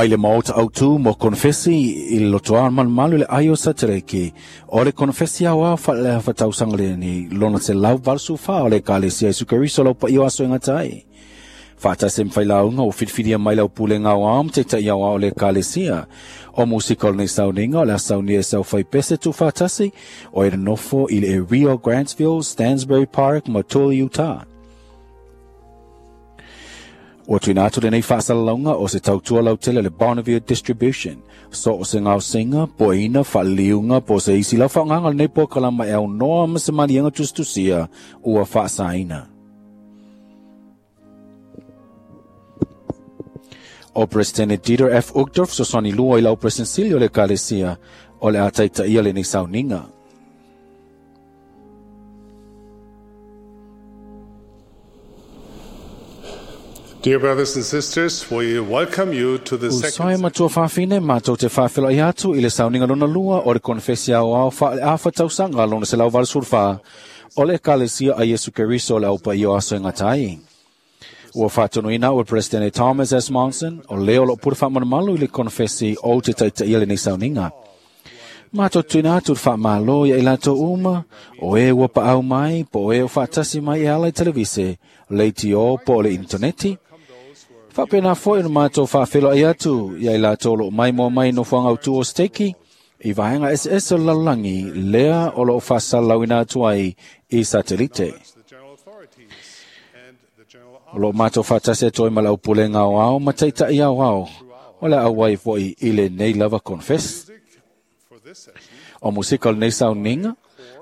Mai le maota autu mo konfesi i le lotoa malumalu le ai o Satereke o le konfesi au au faale-afa tausaga lenei lona 184 o le Ekalesia Iesu Keriso lau paia o aso e gata ai. Faatasi ma failauga ua filifilia mai lau pulega aoao ma taita'i aoao o le Ekalesia. O musika o lenei sauniga o le a saunia e sau faipese tuufaatasi o e nonofo i le area o Grantsville, Stansbury Park ma Tuli, Utah. Ua tuuina atu lenei faasalalauga o se tautua lautele a le Bonneville Distribution. So o se gaosiga, poeina, faaliliuga, po o se isi lau faaaogaga o lenei polokalama e aunoa ma se maliega tusitusia ua faasaina. O Presidente Dieter F. Uchtdorf fesoasoani lua i lau President Sili o le Ekalesia o le a taitaia lenei sauniga. Dear brothers and sisters, we welcome you to the Uso e second matua fafine matou te faafeiloai atu i le sauniga lona lua o le konefesi aoao faale-afa tausaga lona 184 o le Ekalesia a Iesu Keriso o le Au Paia o Aso e Gata ai. Ua faatonuina au e Presidente Thomas S. Monson, o lea o loo pule faamalumalu i le konefesi ou te taitaia lenei sauniga. Matou tuuina atu le faamalo ia i latou uma, o e ua paau mai, po o e o faatasi mai e ala i televise, leitio po o le initaneti. Faapena foi ona matou faafeiloai atu ia i latou o loo maimoa mai i nofoaga autu o Seteki i vaega eseese o le lalolagi lea o loo faasalalauina atu ai i satelite. the general authorities and the general O loo matou faatasi atu ai ma le aupulega aoao ma taita'i aoao o le a auai foi i lenei lava konefesi. for this session O musika o lenei sauniga,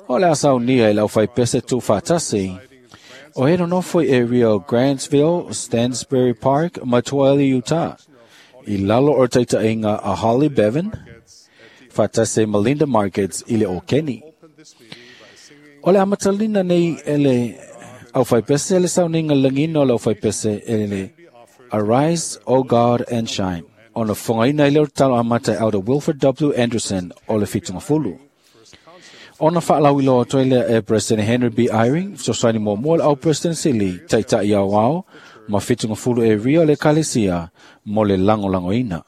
o le a saunia e le aufaipese tuufaatasi o e nonofo i area o Grantsville, Stansbury Park ma Tuaeli, Utah. I lalo o le taita'iga a Holly Bevan, faatasi ai ma Linda Markets i le Okeni. open this meeting by singing O le amatalina nei e le aufaipese le sauniga lagina o le aufaipese e le Arise, O God, and Shine. Ona fofogaina ai lea o le tatalo amata e Elder Wilford W. Anderson o le Fitugafulu. Ona faalauiloa atu ai lea e President Henry B. Eyring, fesoasoani muamua le au President Sili, taita'i aoao ma Fitugafulu area o le Ekalesia mo le lagolagoina.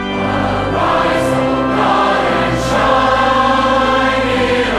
Arise, O God, and shine.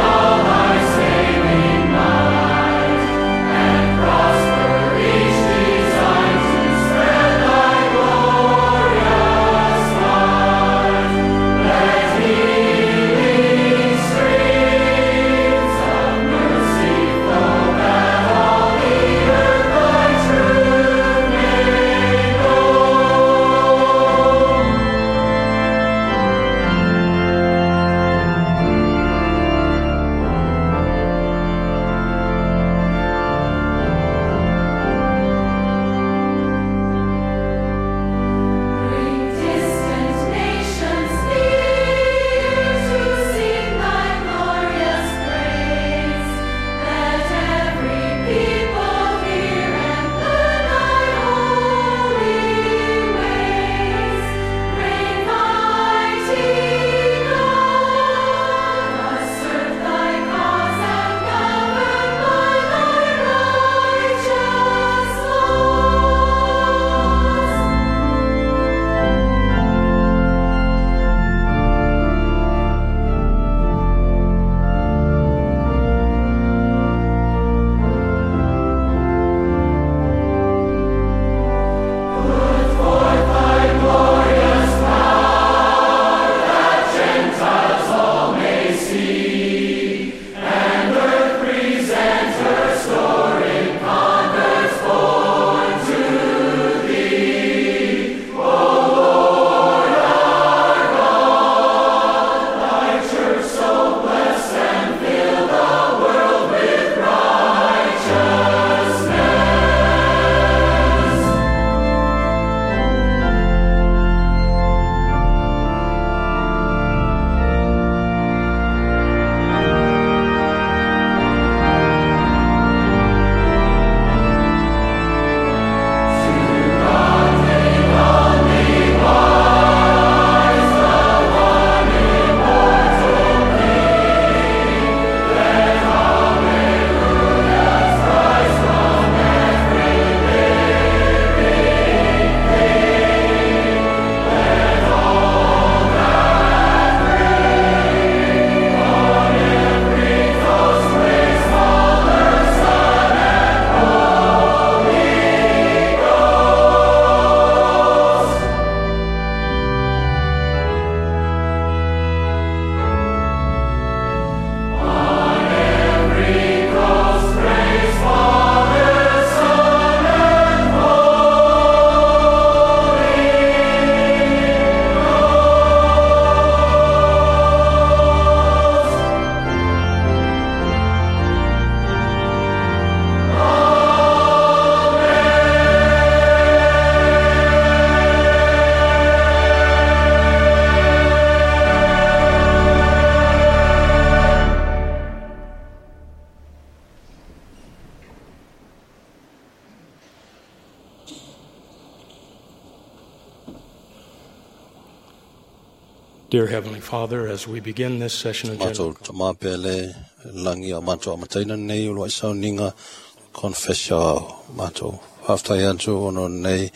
Dear Heavenly Father, as we begin this session of Matou general tama pele langi o matou amataina nei o loa sauniga confessio matou faafetai atu ona nei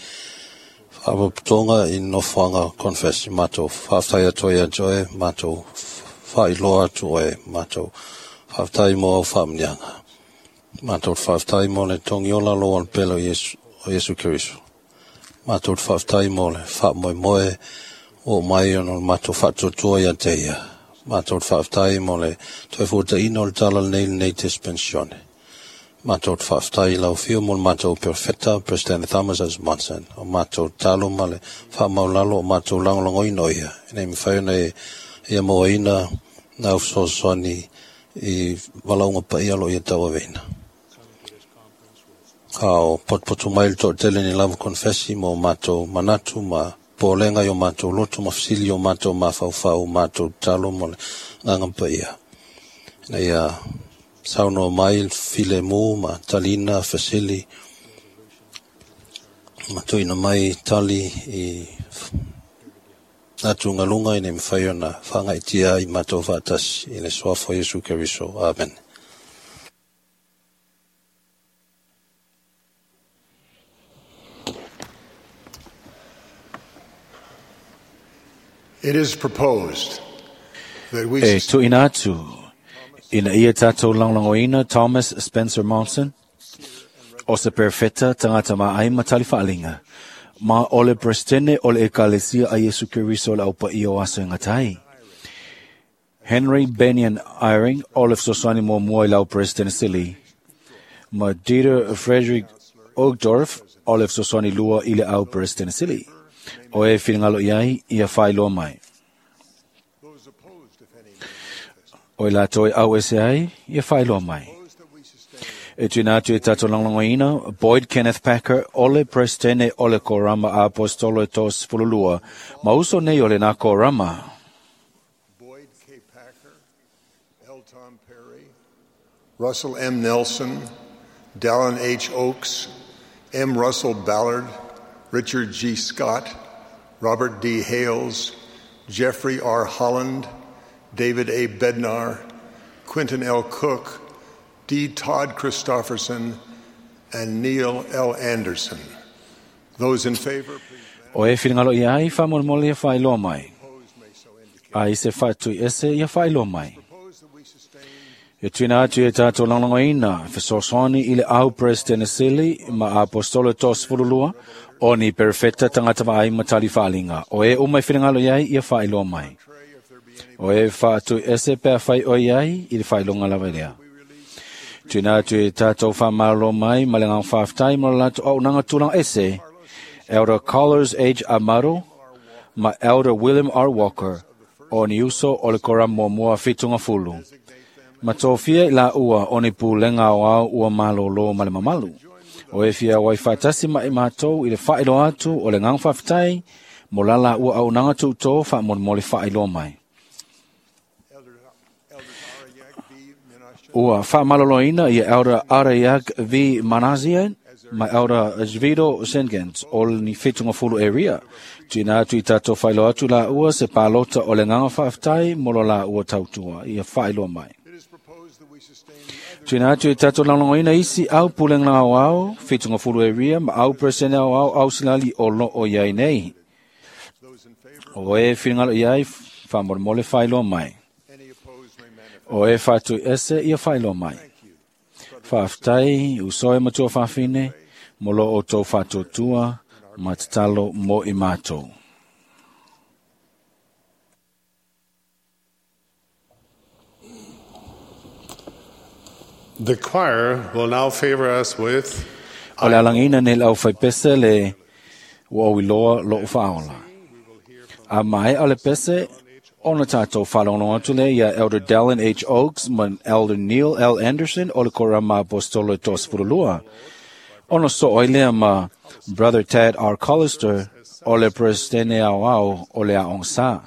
faapotopotoga i nofoaga confess matou faafetai atu ai ia te oe matou faailoa atu oe matou faafetai mo au faamanuiaga matou faafetai mo le togiola loa o le pele o Iesu, o Iesu Keriso matou faafetai mo le faamoemoe o mai ona o le matou faatuatua ia te ia. Matou faafetai mo le toe fuataina o le tala lenei lenei dispensione. Matou faafetai i lau afio mo le matou perofeta, President Thomas S. Monson, o matou talo ma le faamaulalo o matou lagolagoina o ia. Ina ia mafai ona e ia mauaina nau fesoasoani i valaauga paia o lo o ia tauaveina. A o potopoto mai le toatele ni lava konfesi mo matou manatu ma polega i o matou loto ma fesili i o matou mafaufau matou tatalo mo le agaga paia. Ina ia saunoa mai le filemu ma talina fesili ma tuuina mai tali i atugaluga ina ia mafai ona faagaitia ai matou faatasi i le suafa o Iesu Keriso. Amen. It is proposed that we E tuuina atu ina ia tatou lagolagoina Thomas Spencer Monson, o se perofeta tagata maai ma tali faaliga, ma o le Peresetene o le Ekalesia a Iesu Keriso o le Aupaia o Aso e Gata ai. Henry Bennion Eyring o le fesoasoani muamua i lau Peresetene Sili, ma Dieter Frederick Uchtdorf o le fesoasoani lua i le au Peresetene Sili. O e finagalo i ai, ia faailoa mai. those opposed, if any, may manifest. O i latou e au ese ai, ia faailoa mai. Propose that we sustain E tuuina atu e tatou lagolagoina Boyd Kenneth Packer o le Presetene o le Korama a Apostolo e 32, ma uso nei o lena Korama. Boyd K. Packer, L. Tom Perry, Russell M. Nelson, Dallin H. Oaks, M. Russell Ballard, Richard G. Scott, Robert D. Hales, Jeffrey R. Holland, David A. Bednar, Quentin L. Cook, D. Todd Christofferson, and Neil L. Anderson. Those in favor, please O e finagalo i ai, faamolemole ia faailoa mai. opposed may so indicate. A i se faatui ese ia faailoa mai. Propose that we sustain E tuuina atu e tatou lagolagoina fesoasoani i le au Presetene Sili ma Apostolo e 32, o ni perofeta tagata vaai ma tali faaliga. O e uma e finagalo i ai, ia faailoa mai. tray if there be any O e faatui ese pea fai o i ai, i le faailoga lava lea. Tuuina atu e tatou whamalo mai ma le ngang whaaftai mo le latou auaunaga tulaga ese, Elder Carlos H. Amaro ma Elder William R. Walker o ni uso o le Korama muamua fitunga fulu. Ma tofia i la ua o ni pulega o au ua malōlō ma le mamalu. O e fia wai whaatasi ma i mātou i le whaailoa atu o le ngang whaaftai mo la la ua auaunaga tuutō faamolemole faailoa mai. Elder, Elder Arayak V. Menashe, Ua whaamaloloina ia Elder Arayak V. Manasia ma Elder Zvido Sengans o ni fitunga fulu area. Tuina atu i tātou whailoa atu la ua se pālota o le nganga whaaftai mo lo la ua tautua ia whailoa mai. It is proposed that we sustain the other Tuina atu i tātou lagolagoina isi au pulenga au au, fitunga fulu area ma au presene au au au silali o lo o iai nei. those in favor, O e whingalo iai whamolemole whailoa mai. any opposed may manifest. O e whātui ese ia whailoa mai. Thank you. Whaaftai, usoe matua whawhine, mo lo o tō whātuatua, ma te talo mo i mātou. The choir will now favor us with O le alangina nei lau whaipese le ua oiloa lo o whaola. A mai o le pese, ona tātou whalongo atu le ia Elder Dallin H. Oaks ma Elder Neil L. Anderson o le Korama Apostolo e 32. Ona so oilea ma Brother Tad R. Collister o le Presidente au au o le Aong Sa.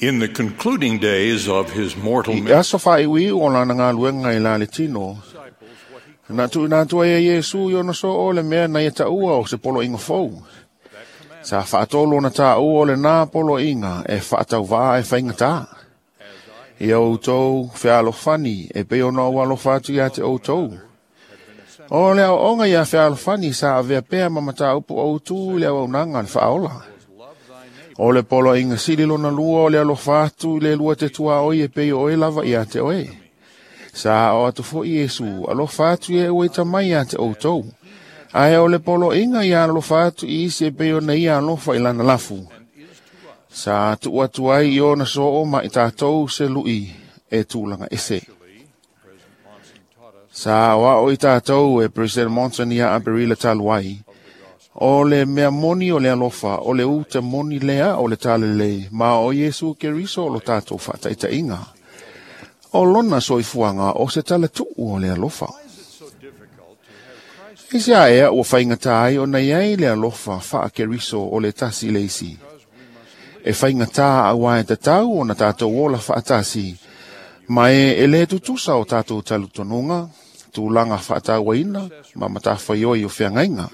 In the concluding days of his mortal I aso whaiwi o lana ngā luenga i la le tino. Na tu ina tua e Iesu i ona so o le mea na ia taua o se polo inga fou. Sa whaatolo na tā ua o le nā polo inga e whaatau e whainga tā. Ia o tau whealofani e pe ona o alofa atu ia te o tau. O le au onga ia whealofani sa avea pea mamata upu o tu le au nanga le whaola. O le polo inga sili lona lua o le alofa atu le lua te tua oi e pe o e lava ia te oe. Sa o atu fo Iesu alofa atu e ue tamai ia te o tau. Ae o le polo inga ia alofa atu i isi e pe o na ia alofa i lana lafu. Sa tu atu ai i ona so o ma i tātou se lui e tūlanga ese. Sa o i tātou e President Monson ia Aperila taluai. O le mea moni o le alofa, o le uta moni lea o le talele, ma o Iesu Keriso o lo tātou whataitainga. O lona soifuanga o se tala tuu o le alofa. Isi aea ua whaingata ai o nei ai le alofa wha Keriso o le tasi leisi. E whaingata a wae tatau o na tātou ola whaatasi, ma e le tutusa o tātou talutonunga, tūlanga whaatauaina, ma matawhaioi o whiangainga.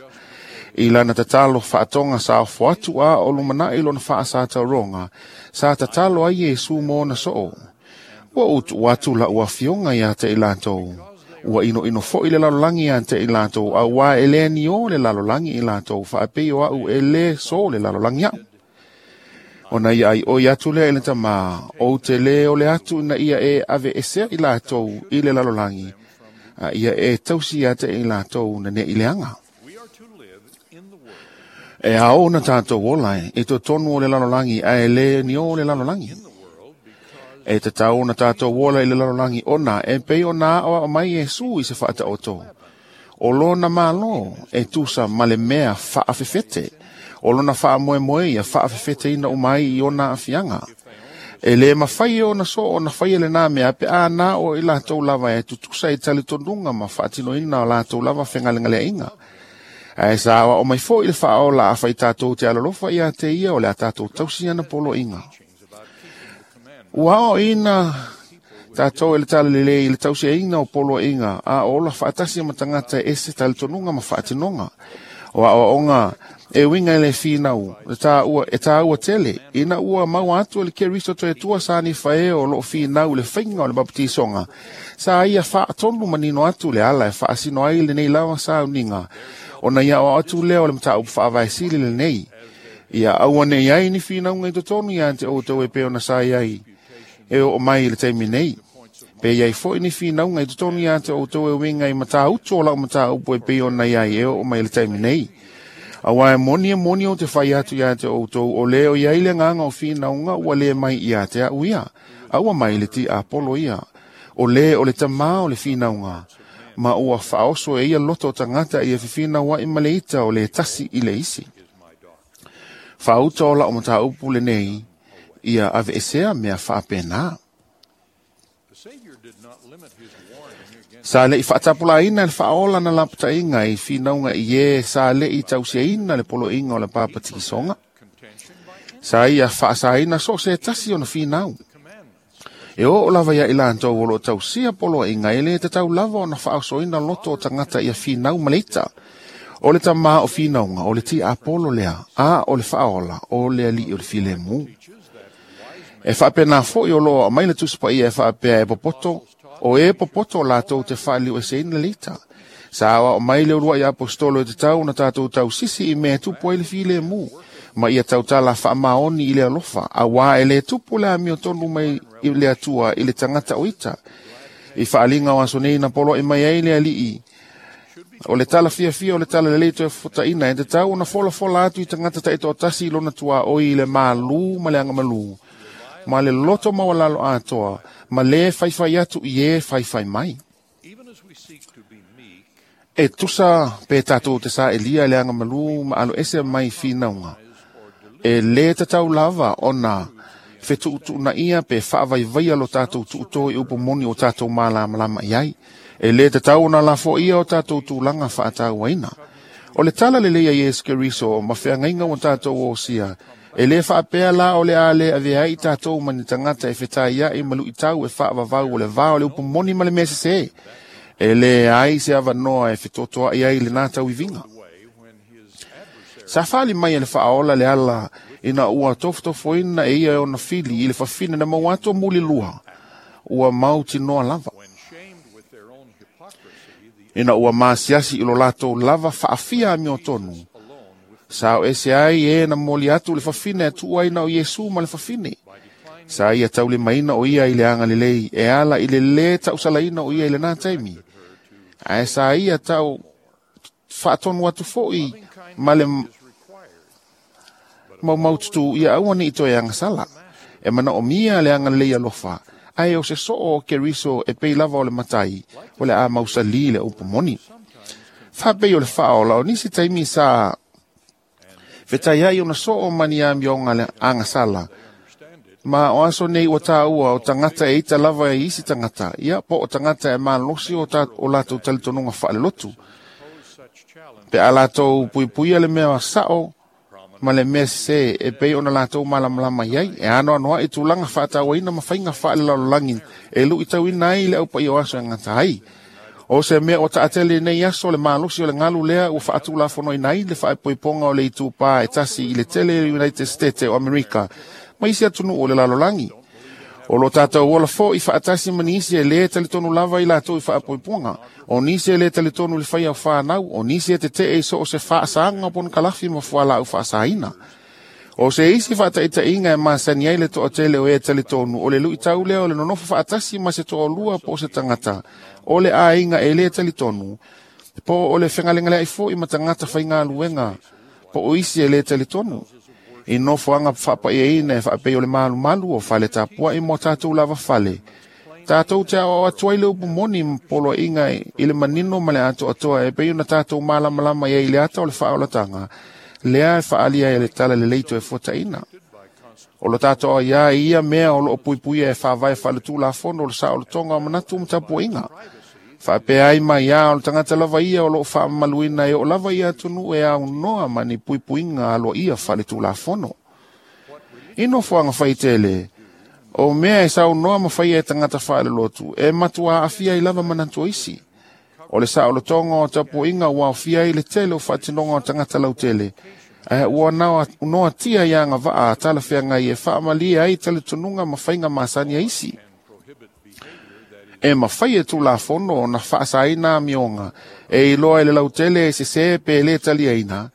I lana tatalo whaatonga sa o atu a o lumana i lona whaasa tauronga, sa tatalo ai Iesu mōna soo. Ua utu atu la ua fionga ia te i lātou. Ua ino ino fo i le lalolangi ia te i lātou, a ua e le ni o le lalolangi i lātou, whaapei o au e le so le lalolangi au. O na ia ai oi atu lea i le tamā, o te le o le atu na ia e ave esea i lātou i le lalolangi, a ia e tausi ia te i lātou na ne i leanga. E ao na tātou ola e to tonu o le lalolangi a e le ni o le lalolangi. E te tau na tātou ola i le lalolangi ona e pei o nā o mai Iesu i se whaata o tō. O lona malo e tusa male mea whaafefete. O lona wha moe moe ia whaafefete ina umai i ona afianga. E le mawhai o na so o na whai ele nā mea pe a nā o i lātou lava e tutusa i talitonunga ma whaatino ina o lātou lava whengalengalea inga. Ae sa o mai fo i le whaola a whai tātou te alalofa ia te ia o le a tātou tausi ana polo inga. Ua o ina tātou e le talelele i le tausi inga o polo inga a ola whaatasi matangata e se talitonunga ma whaatinonga. O a onga e winga ele whinau, e tā ua tele, ina ua mau atu le Keriso toe tua sa ni whae o lo whinau le whainga o le baptisonga. Sa ia whaatonu manino atu le ala e whaasino ai le nei lawa sa uninga. O na ia o atu leo le mata upu whaavaesili le nei. Ia aua nei ai ni whinau ngai totonu ia te o tau e peo na sa iai. E o mai le teimi nei. Pe iai fo ni whinau ngai totonu ia te o tau e winga i mata utu o lau mata upu e peo na iai e o mai le teimi nei. Awa e moni o te whai atu ia te o tau o leo ia ile nganga o whinaunga ua le mai ia te au ia. Aua mai le ti Apollo ia. O le o le tamā o le whinaunga. Ma ua whaoso e ia loto tangata ia whiwhina wa i maleita o le tasi i le isi. Whauta o la o mata upu le nei, ia ave esea mea whaapena. Sa le i whaatapula ina le whaola na lapata inga i whinaunga i e sa le i tausia ina le polo inga o le pāpatikisonga. Sa ia whaasaina so se tasi o na whinau. E o lava ia i lātou o lo tausia polo inga e le te tau lava o na whaasoina loto o tangata ia whinau maleita. O le tamā o whinaunga, o le ti Apollo lea, a o le whaola, o le ali o le filemu. E whaapena fo i o loa mai le tusipa ia e whaapea e popoto, o e popoto lātou te whaaliu e seina leita. Sa awa o mai le urua i apostolo e te tau na tātou tau sisi i mea tupu ai le filemu. Ma ia tautala whaamaoni i le alofa, a wā e le tupu le amio tonu mai i le atua i le tangata o ita. I whaalinga o aso nei na polo e mai ai le alii. O le tala fia fia o le tala le leito e futaina e te tau na fola fola atu i tangata ta ito o tasi i lona tua oi i le malu ma le anga malu. Ma le loto mawalalo atoa, ma le whaiwhai atu i e whaiwhai mai. E tusa pe tātou te sa elia le anga malu ma alo ese mai whinaunga. E le tatau lava ona whetuutu na ia pe whaavaivaia lo tātou tuuto i upo moni o tātou mālamalama iai. E le tatau ona lafo ia o tātou tūlanga whaatau aina. O le tala le leia Iesu Keriso ma wheangainga o tātou o sia E le faapea la o le a le avea ai tatou ma ni tagata e fetaiai ma luitau e faavavau o le va o le upu moni ma le mea sesē. E leai se avanoa e fetotoai ai lena tauiviga. Sa fali mai e le faaola le ala ina ua tofotofoina e ia e ona fili i le fafine na maua atu mulilua ua mautinoa lava. Ina ua masiasi i lo latou lava faafia amiotonu. Sa o ese ai e na moli atu le fafine e tuu ai na o Iesu ma le fafine. Sa ia taulimaina o ia i le agalelei e ala i le lē tausalaina o ia i lena taimi. Ae sa ia tau faatonu atu foi ma le maumaututu ia aua ne i toe agasala. E manaomia le agalelei alofa, ae o se soo o Keriso e pei lava o le matai, o le a mausali le upu moni. Faapei o le faaola o nisi taimi sa fetaiai ona soo ma ni amioga le agasala. Ma o aso nei ua tāua o tagata e ita lava e isi tagata, ia po o tagata e malosi o, o latou talitonuga faalelotu. Pe a latou puipuia le mea sao ma le mea sesē e pei ona latou malamalama i ai, e anoanoai tulaga faatauaina ma faiga faalelalolagi e luitauina ai le aupaia o aso e gata ai. O se mea o taatele nei aso le malosi o le galu lea ua faatulafonoina ai le faapoipoga o le itupā e tasi i le tele United States o Amerika ma isi atunuu o le lalolagi. O lo tatou ola foi faatasi ma nisi e lē talitonu lava i latou i faapoipoga, o nisi e lē talitonu i le faia o fanau, o nisi e tetee i so o se faasaga o ponokalafi ma fualaau faasaina. O se isi faataitaiga e masani ai le toatele o e talitonu o le luitau lea o le nonofo faatasi ma se toalua po o se tagata o le aiga e lē talitonu, po o le fegalegaleai foi ma tagata faigaluega po o isi e lē talitonu. I nofoaga faapaiaina e faapei o le malumalu o fale tapuai mo tatou lava fale. Tatou te aoao atu ai le upu moni ma poloaiga i le manino ma le atoatoa e pei ona tatou malamalama i ai i le ata o le faaolataga, lea e faaalia e le tala lelei toe fuataina. O lo tatou aiā i ia mea o loo puipuia e faavae faaletulafono o le saolotoga o manatu ma tapuaiga. Faapea ai mai a o le tagata lava ia o loo faamamaluina e oo lava ia atunuu e aunoa ma ni puipuiga aloaia faaletulafono. I nofoaga faitele, o mea e saunoa ma faia e tagata faalelotu e matua aafia ai lava manatu o isi. O le saolotoga o tapuaiga ua aofia ai le tele o faatinoga o tagata lautele, ae ua noatia i agavaa a talafeagai e faamalie ai talitonuga ma faiga masani a isi. E mafai e tulafono ona faasaina amioga e iloa e le lautele e sesē pe lē taliaina,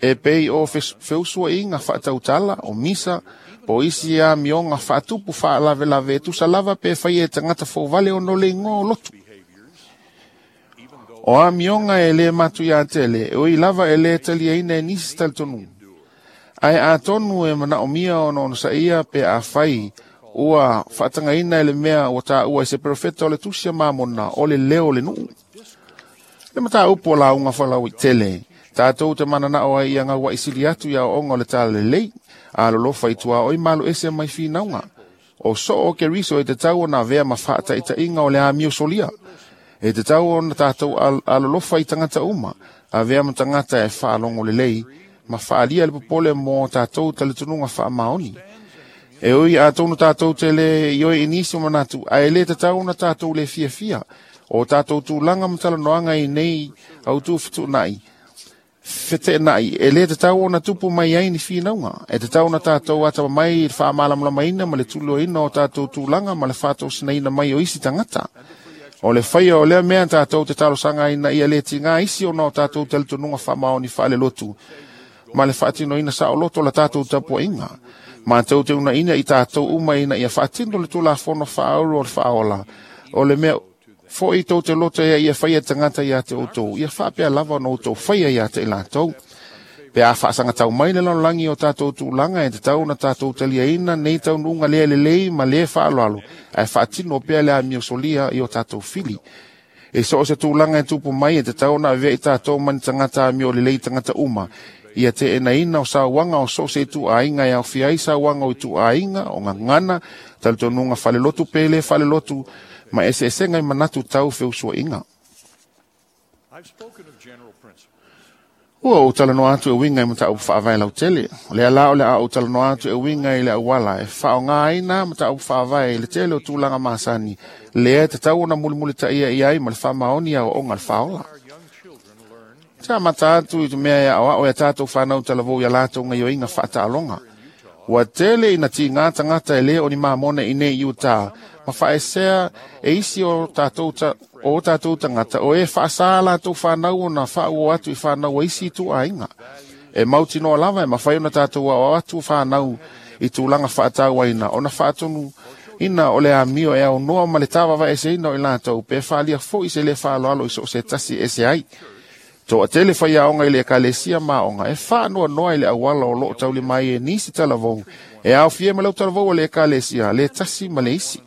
e pei o feusuaiga faatautala, o misa, po o isi amioga faatupu faalavelave e tusa lava pe faia e tagata fouvale ona o le igoa o lotu. O amioga e lē matuiā tele, e ui lava e lē taliaina e nisi talitonuga. Ae atonu e manaomia ona onosaia pe afai ua faatagaina e le mea ua taua i se perofeta o le tusi a Mamona o le leo o le nuu. Le mataupu o lauga falauaitele, tatou te mananao ai ia gauaisili atu i aoaoga o le talalelei, alolofa i tuaoi ma aloese mai finauga. O soo o Keriso e tatau ona avea ma faataitaiga o le amio solia. E tatau ona tatou alolofa i tagata uma, avea ma tagata e faalogo lelei, ma faalia le popole mo tatou talitonuga faamaoni. E ui atonu tatou te le ioe i nisi o manatu, ae lē tatau ona tatou le fiafia. O tatou tulaga ma talanoaga i nei autu fetuunai, feteenai, e lē tatau ona tupu mai ai ni finauga. E tatau ona tatou atamamai i le faamalamalamaina ma le tuliloaina o tatou tulaga ma le faatosinaina mai o isi tagata. O le faia o lea mea tatou te talosaga ina ia lē tigā isi ona o tatou talitonuga faamaoni faalelotu ma le faatinoina saoloto o la tatou tapuaiga. Matou te unaina i tatou uma ina ia faatino le tulafono faaulu o le faaola. O le mea foi tou te loto ia ia faia tagata ia te outou, ia faapea lava ona outou faia ia te i latou. Pe a faasagatau mai le lalolagi o tatou tulaga e tatau ona tatou taliaina nei taunuuga lea lelei ma lē faaaloalo, ae faatino pea le amio solia i o tatou fili. E so o se tulaga e tupu mai e tatau ona avea i tatou ma ni tagata amio lelei tagata uma, ia teenaina o sauaga o so o se ituaiga e aofia ai sauaga o ituaiga, o gagana, talitonuga falelotu pe lē falelotu, ma eseesega i manatu tau feusuaiga. I've spoken of general principles. Ua ou talanoa atu e uiga i mataupu faavae lautele. O lea la o le a ou talanoa atu e uiga i le auala e faaaoga ai na mataupu faavae i le tele o tulaga masani, lea e tatau ona mulimulitaia i ai ma le faamaoni aoaoga a le faaola. Te amata atu i te mea e aoao e tātou whanau talavou ia latou ngaioinga whaataaloga. Ua tele ina tīngā tangata e le o ni mamona i nei i Utah, ma whaesea e isi o tātou tangata o e whaasa latou whanau o na whaua atu i whanau a isi i tū aiga. E mautinoa lava e mawhai o na tātou ao atu whanau i tūlanga whaatauaina o na whaatonu ina o le amio e au noa ma le tāwawa e se ina o i latou pe whaalia fo i se le whaaloalo i so se tasi e se ai. Toa tele whaiaonga i le ekalesia maonga e whaanoa noa i le awala o loo tauli mai e nisi talavou e au fie ma lau talavou o le ekalesia le tasi ma le isi.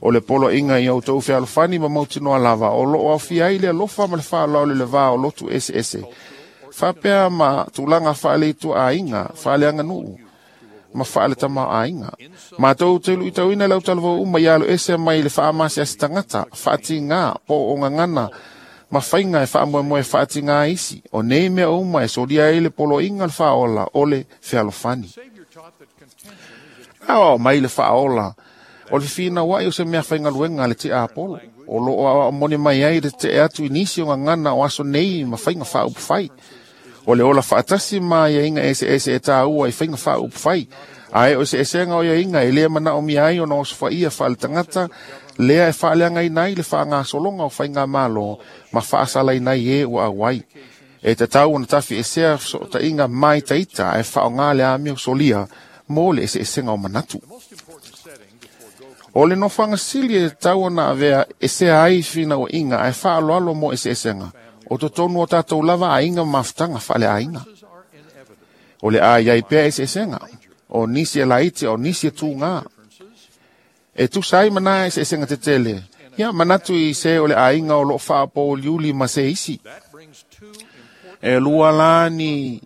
O le polo inga i au tau fealofani ma mautinoa lava o loo au fia ai le alofa ma le whaaloalo le vā o lotu ese ese. Whapea ma tūlanga whaaleitu a inga, whaaleanga nuu, ma whaale tama a inga. Mātou te lui tauina lau talavou uma i alo ese mai le whaamasi ase tangata, whaati ngā, po o ngangana, ma whainga e whaamoemoe whaati ngā isi, o nei mea uma e soria e le polo inga le whaola o le fealofani. Ao mai le whaola, o le whina wai o se mea whainga luenga le te apolo, o lo o mone mai ai le te atu i nisi o ngangana o aso nei ma whainga whaupufai. O le ola whaatasi ma ia inga ese ese e tāua i whainga whaupufai. Ae o se esenga o ia inga e lea mana o mia ai o na osofo ia whaale tangata, lea e whaaleanga i nai le whaanga solonga o whainga malo, ma whaasala i nai e ua awai. E te tau ona tawhi e sea so ta inga mai taita e whaonga le amio solia, mō le ese esenga o manatu. O le nofanga sili e tau ona avea e sea ai whina o inga ae whaaloalo mō ese esenga. O totonu o tātou lava a inga mafutanga whaale a inga. O le a iai pea ese esenga. O nisi e laiti, o nisi e tūngā. E tūsai mana ese esenga te tele. Ia manatu i se o le a inga o lo whaapo liuli ma se isi. E lua la ni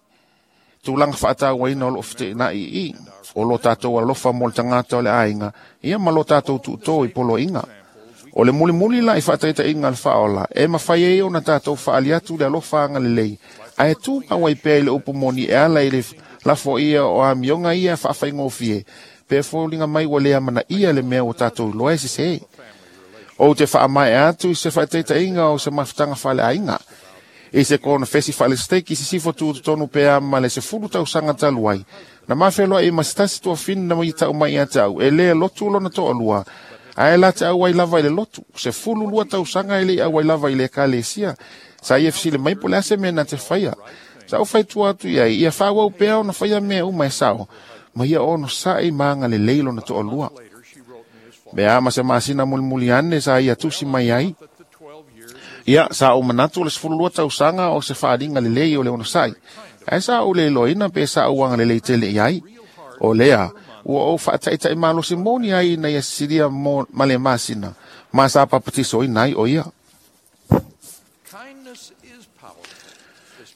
tūlanga whaatauaina o lo white ina i i. O lo tātou alofa mo le tangata o le ainga, ia ma lo tātou tuto i polo inga. O le mulimuli la i whaataita inga le whaola, e mawhai e o na tātou whaaliatu le alofa anga le lei. A e tū ngawai pea i le upumoni e ala i le lafo ia o a mionga ia whaawhaingofie, pe fōlinga mai wa lea mana ia le mea o tātou loa e sese. O te whaamae atu i se whaataita inga o se mafutanga whaale ainga. I se kona fesi whaale steak i se sifo tūtonu pea ma le se fulu tau sanga taluai. Na mawheloa i masitasi tua whina mai tau mai a tau, e lea lotu lona toa lua. Ae la te au ai lava i le lotu, se fulu lua tau sanga e le au ai lava i le ekalesia. Sa ia fisile mai po le ase mea na te whaia. Sa o whaitua atu iai, ia whawau pea ona whaia mea uma e sao. Ma ia ono sa i maanga le leilo na toa lua. Mea ama se masina mulimuli ane sa ia tusi mai ai. Ia, sa o manatu le sefulu lua tausaga o se faaaliga lelei o le onosai. Ae sa ou le iloaina pe sa ou agalelei tele i ai. O lea, ua ou faataitai malosi moni ai ina ia sisilia ma le masina, ma sa papatisoina ai o ia.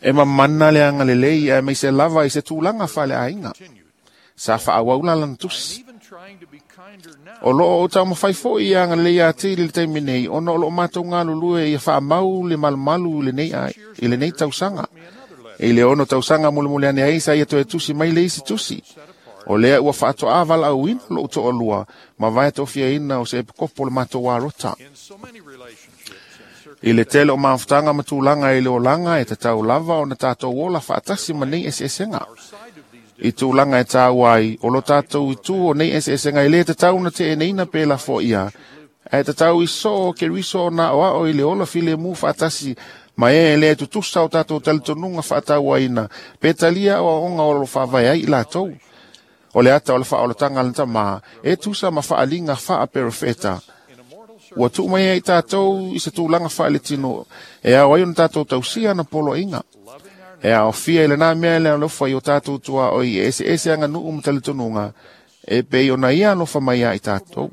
E mamana le agalelei ae maise lava i se tulaga faaleaiga. Sa faaauau lana tusi. O loo o taumafai foi ia agalelei atili le taimi nei, ona o loo matou galulue ia faamau le malumalu i lenei tausaga. I le ono tausaga mulimuli ane ai sa ia toe tusi mai le isi tusi. O lea ua faatoa valaauina lou toalua ma vae tofiaina o se epikopo le matou arota. I le tele o mafutaga ma tulaga i le olaga e tatau lava ona tatou ola faatasi ma nei eseesega. I tulaga e tāua ai, o lo tātou itu o nei eseesega e le tatau na teeneina pe lafo ia. Ae tatau i soo ke riso o na oao i le ola filemu faatasi ma e le tutusa o tātou talitonuga faatauaina pe talia o aoga o lo faavae ai i latou. O le ata o le faaolataga le tamā e tusa ma faaliga faaperofeta. Ua tuu mai ai tātou i se tulaga faaletino e ao ai ona tātou tausia na poloaiga. E aofia i lenā mea le alofa i o tātou tuaoi e eseese aganuu ma talitonuga e pei ona ia alofa mai ai tātou.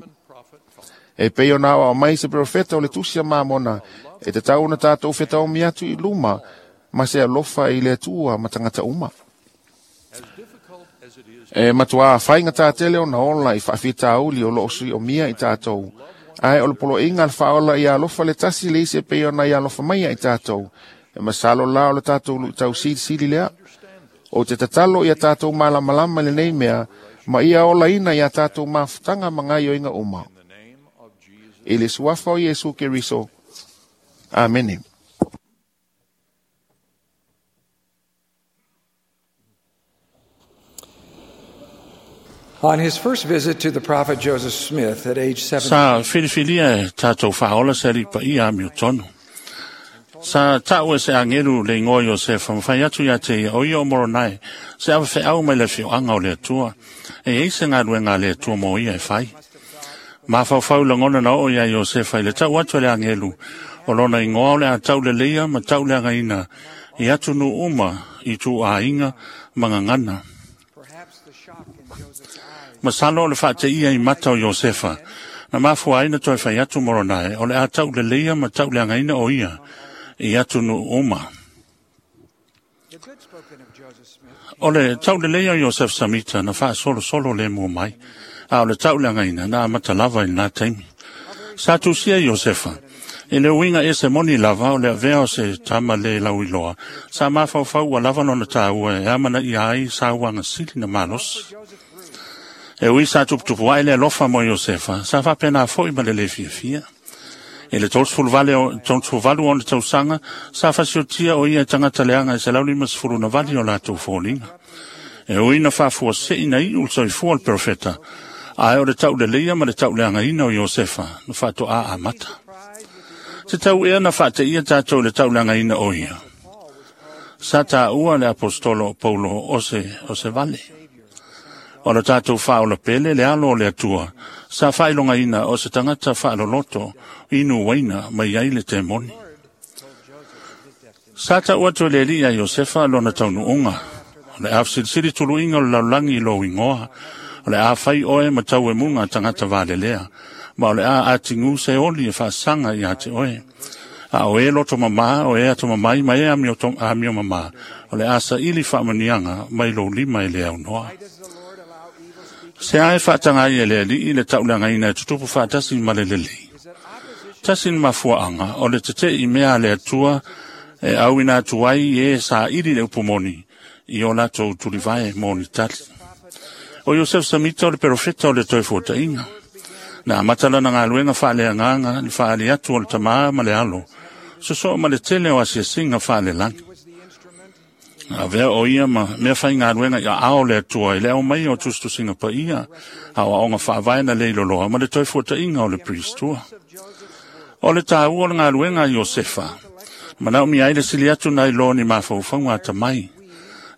E pei ona aoao mai se perofeta o le tusi a Mamona e tatau ona tātou fetaomi atu i luma ma se alofa i le Atua ma tagata uma. E matuā whainga tātele o na ola i whaafitauli o loo sui o mia i tātou. Ae o le poloiga le faaola ia alofa le tasi le isi e pei ona ia alofa mai ai tātou. E masalo la o le tātou luʻitau silisili lea. O te tatalo ia tātou malamalama i lenei mea, ma ia olaina ia tātou mafutaga ma gaioiga uma. I le suafa o Iesu Keriso. Amene. On his first visit to the prophet Joseph Smith at age 17, Sa filifilia e tātou whaola se ripa i a miutonu. Sa tau e se angelu le ingoa Iosefa mawhai atu ia te ia o ia o moronai se awa wheau mai le whioanga o le atua e ei se ngaluenga le atua mo ia e whai. Mawhauwhau langona na o ia Iosefa i le tau atu le angelu o lona ingoa o le a tau le leia ma tau le angaina i atu nu uma i tū āinga mangangana. Masalo o le whaate ia i mata o Iosefa na mafua ai na toi whai atu moronai o le a tau le leia ma tau le angaina o ia i atu nu uma. O le tau le leia o Iosef Samita na wha solo solo le mua mai, a o le tau le angaina na amata lava i nā taimi. Sa tusia Iosefa, e le uinga e se moni lava o le avea o se tama le lau iloa, sa mawhauwhau ua lava nona tāua e amana i ai sa uanga sili na malosi. E ui sa tuputupu ai le alofa mo Iosefa, sa whapena foi ma le le fiafia. E le 38 ona tausaga sa fasiotia o ia tagata leaga e 150 na vali o latou foliga. E ui na faafuaseʻi na iʻu le soifua o le perofeta, ae o le taʻuleleia ma le taʻuleagaina o Iosefa na faatoā amata. Se tau ea na faateia tatou i le taʻuleagaina o ia. Sa tāua le apostolo o Paulo o se vale. O le tātou whaola pele le alo o le atua, sa whailongaina o se tangata whaaloloto inu waina mai ai le te moni. Sa tau atu le li a Iosefa lona taunuunga, o le awsilisili tuluinga o le laulangi i lo ingoa, o le a whai oe ma tau e munga tangata valelea, ma o le a atingu se oli e whaasanga i ate oe. A o e loto mama, o e ato mamai, ma e amio mama, o le a sa ili whaamanianga mai lo lima e le au noa. Se ae whaatangai e le alii le tauleagaina e tutupu whaatasi ma le lelei. Tasi ni mafuaanga o le tete i mea le atua e au ina atu ai e sa ili le upumoni i o latou tulivae moni tali. O Iosef Samita o le perofeta o le toi fuatainga. Na amata lana galuega faaleagaga le faaali atu o le tamā ma le alo, sosoo ma le tele o asiasiga faalelagi. Avea o ia ma mea faigaluega ia ao le atua i le au mai o tusitusiga paia, a o aoga faavae na le iloloa ma le toe fuataʻiga o le pristua. O le tāua o le galuega a Iosefa, manaomia ai le sili atu nai lo ni mafaufauga atamai,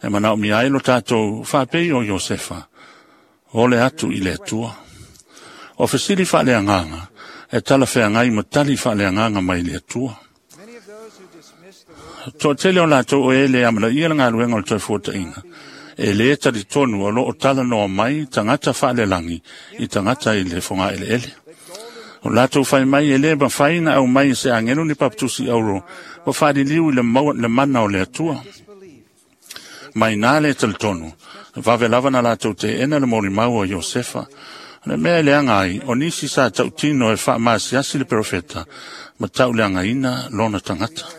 e manaomia ai lo tatou faapei o Iosefa, o le atu i le Atua. O fesili faaleagaga, e talafeagai ma tali faaleagaga mai le Atua. Toatele o latou o e le amanaia le galuega o le toe fuataʻiga, e lē talitonu o loo talanoa mai tagata faalelagi i tagata i le fogaʻeleʻele. O latou fai mai e lē mafai na aumai e se agelu ni papatusi auro ma faaliliu i le mana o le Atua. Mai nā le talitonu, vave lava na latou teʻena le molimau o Iosefa. O le mea e leaga ai, o nisi sa tautino e faamasiasi le perofeta ma tauleagaina lona tagata.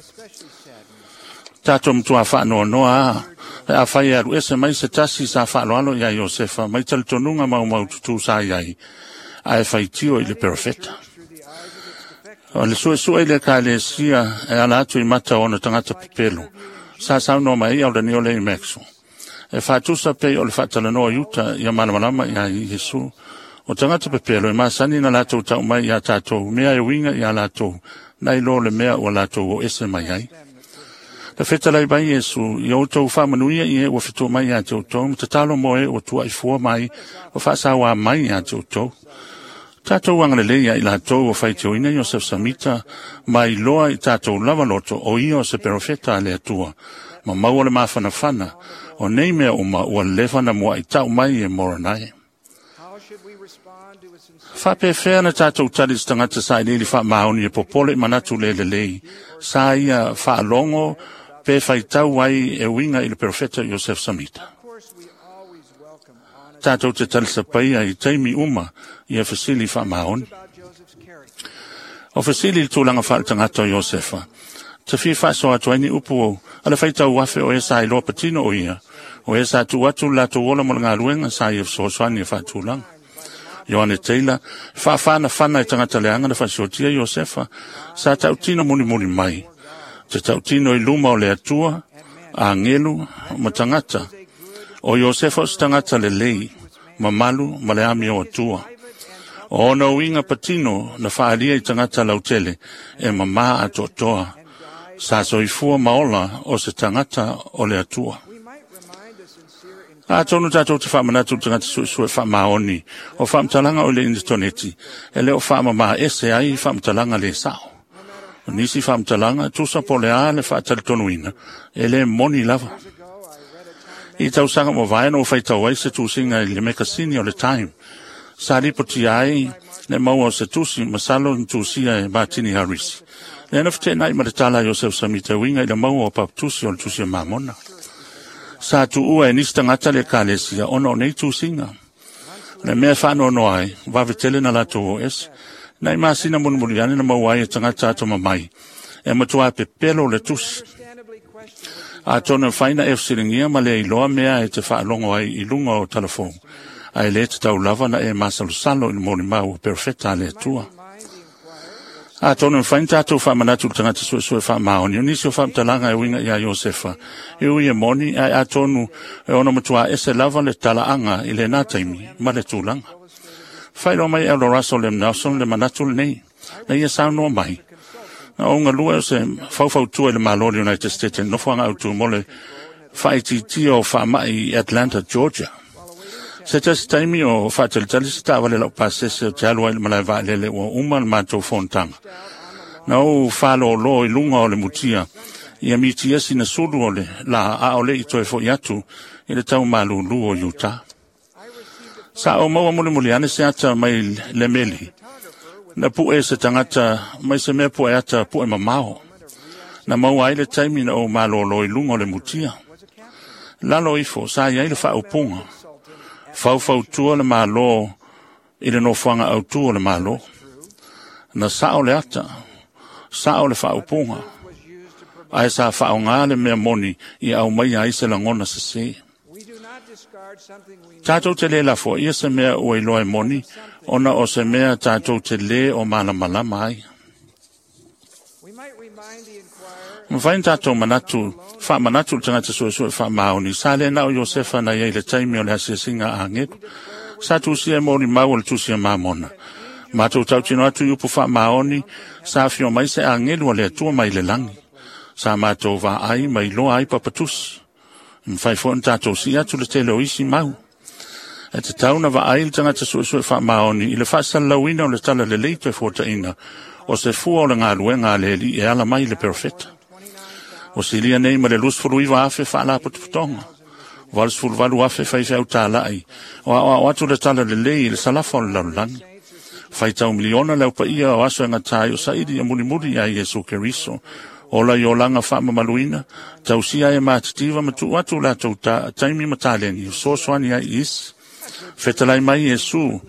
Tātou matua whaanoanoa a, e a whai aru ese mai se tasi sa whaaloalo ia Iosefa, mai talitonuga maumau tutu sa iai, a e whaitio i le perofeta. O le suesue i le ekalesia e ala atu i mata o ona tagata pepelo, sa saunoa mai ai o le niole i Maxwell. E whaatusa pei o le whaatalanoa i uta ia malamalama ia Iesu. O tagata pepelo e masani na latou tau mai ia tātou, mea e winga ia latou, nai lo le mea ua latou o ese mai ai. Le fetalai mai Iesu, i outou faamanuia i e ua fetua mai ia te outou, ma tatalo mo e ua tuaifua mai, ua faasauā mai ia te outou. Tatou agalelei ia i latou o faitioina Iosef Samita, mai loa i tatou lava loto o ia o se perofeta a le Atua, ma maua le mafanafana, o nei mea uma ua leva na muaʻi mai e Moronai. Faapefea na tatou tali se tagata sa iliili faamaoni e popole i manatu le lelei, sa ia faalogo pe faitau ai e uiga i le perofeta Iosef Samita. Tatou te talisapaia i taimi uma ia fesili faamaoni. O fesili i le tulaga faaletagata o Iosefa, Te fia faasoa atu ai ni upu a le faitau afe o e sa iloa patino o ia, o e sa tuu atu le latou ola mo le galuega sa ia fesoasoani e faatulaga. Ioane Taylor, faafanafana e tagata leaga na faasiotia Iosefa, sa tautino mulimuli mai. Te tautino i luma o le Atua, agelu ma tagata. O Iosefa o se tagata lelei, mamalu ma le amio Atua. O ona uiga patino na faaalia i tagata lautele e mamā atoatoa. Sa soifua ma ola o se tagata o le Atua. Atonu tātou te whaamanatu tagata suesue whaamaoni o whaamatalaga o le initoneti e le o whaamama ese ai whaamatalaga le sao. O nisi whaamatalaga tusa po le a le whaatalitonuina e le moni lava. I tausaga mo vaena o whaitau ai se tusinga i le mekasini o le Time. Sa ripoti ai le maua o se tusi masalo ni tusia e Martini Harris. Le na whtenai ma le tala Joseph Samita winga i le maua o papatusi o le tusi o Mamona. Sa tuua e nisi tagata le ekalesia ona o nei tusiga. O le mea faanoanoa ai, vave tele na latou o ese. Nai masina mulimuli ane na maua ai e tagata atomamai, e matuā pepelo le tusi. Atonu e mafai ona e fesiligia ma le iloa mea e te faalogo ai i luga o talafou, ae lē tatau lava na e masalosalo i le molimau a perofeta a le Atua. Atonu e mafai ona tatou faamanatu i le tagata suesue faamaoni o nisi o faamatalaga e uiga iā Iosefa, e ui e moni, ae atonu e ono matuā ese lava le talaaga i lenā taimi ma le tulaga. Faailoa mai e Elder Russell M. Nelson le manatu lenei, na ia saunoa mai, Na ou galue o se faufautua i le Malo o le United States i le nofoaga autu mo le faaitiitia o faamai i Atlanta, Georgia. Se tasi taimi o faatalitali se taavale laupasese ou te alu ai i le malae vaalele ua uma le matou fonotaga. Na ou faalōlō i luga o le mutia ia mitia sina sulu o le lā a o le i toe foi atu i le tau malūlū o Utah. Sa ou maua mulimuli ane se ata mai le meli. Na pue se tagata mai se mea pue ata pue mamao. Na maua ai le taimi na ou malōlō i luga o le mutia. Lalo ifo, sa i ai le faaupuga. Faufautua le Malo i le nofoaga autū o le Malo. Na sao le ata, sao le faaupuga, ae sa faaaoga le mea moni i aumaia ai se lagona sesē. Tatou te lē lafoaia se mea ua iloa e moni, ona o se mea tatou te lē o malamalama ai. Mafai ona tatou manatu, faamanatu i le tagata suesue faamaoni, sa le na o Iosefa na i ai i le taimi o le asiasiga a agelu. Sa tusia e molimau o le tusi a Mamona. Matou tautino atu i upu faamaoni, sa afio mai se agelu a le Atua mai le lagi. Sa matou vaai ma iloa ai papatusi. E mafai foi ona tatou sii atu le tele o isi mau. E tatau ona vaai le tagata suesue faamaoni i le faasalalauina o le talalelei toe fuataina o se fua o le galuega a le Alii e ala mai i le perofeta. Ua silia nei ma le 29,000 faalapotopotoga, 88,000 faifeau talai o aoao atu le talalelei i le salafa o le lalolagi. Faitau miliona le aupaia o aso e gata ai o saili ia mulimuli ia Iesu Keriso. Ola i olaga faamamaluina, tausia ai e matitiva ma tuu atu latou taimi ma taleni e fesoasoani ai i isi. Fetalai mai Iesu,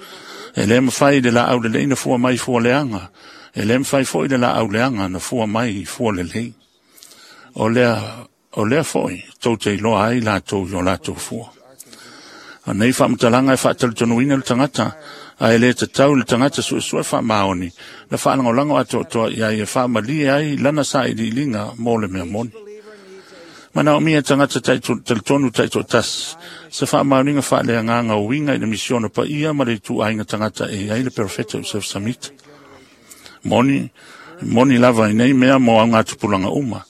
e le mafai le laau lelei na fua mai i fua leaga, e le mafai foi le laau leaga na fua mai i fua lelei. O lea, o lea foi tou te iloa ai latou i o latou fua. O nei faamatalaga e faatalitonuina le tagata, ae le tatau i le tagata suesue faamaoni na faalagolago atoatoa i ai e faamalie ai lana sailiiliga mo le mea moni. Manaomia e tagata talitonu taitoatasi se faamaoniga faaleagaga o uiga i le misiona paia ma le ituaiga tagata e i ai le Perofeta Joseph Smith. Moni, moni lava i nei mea mo augatupulaga uma.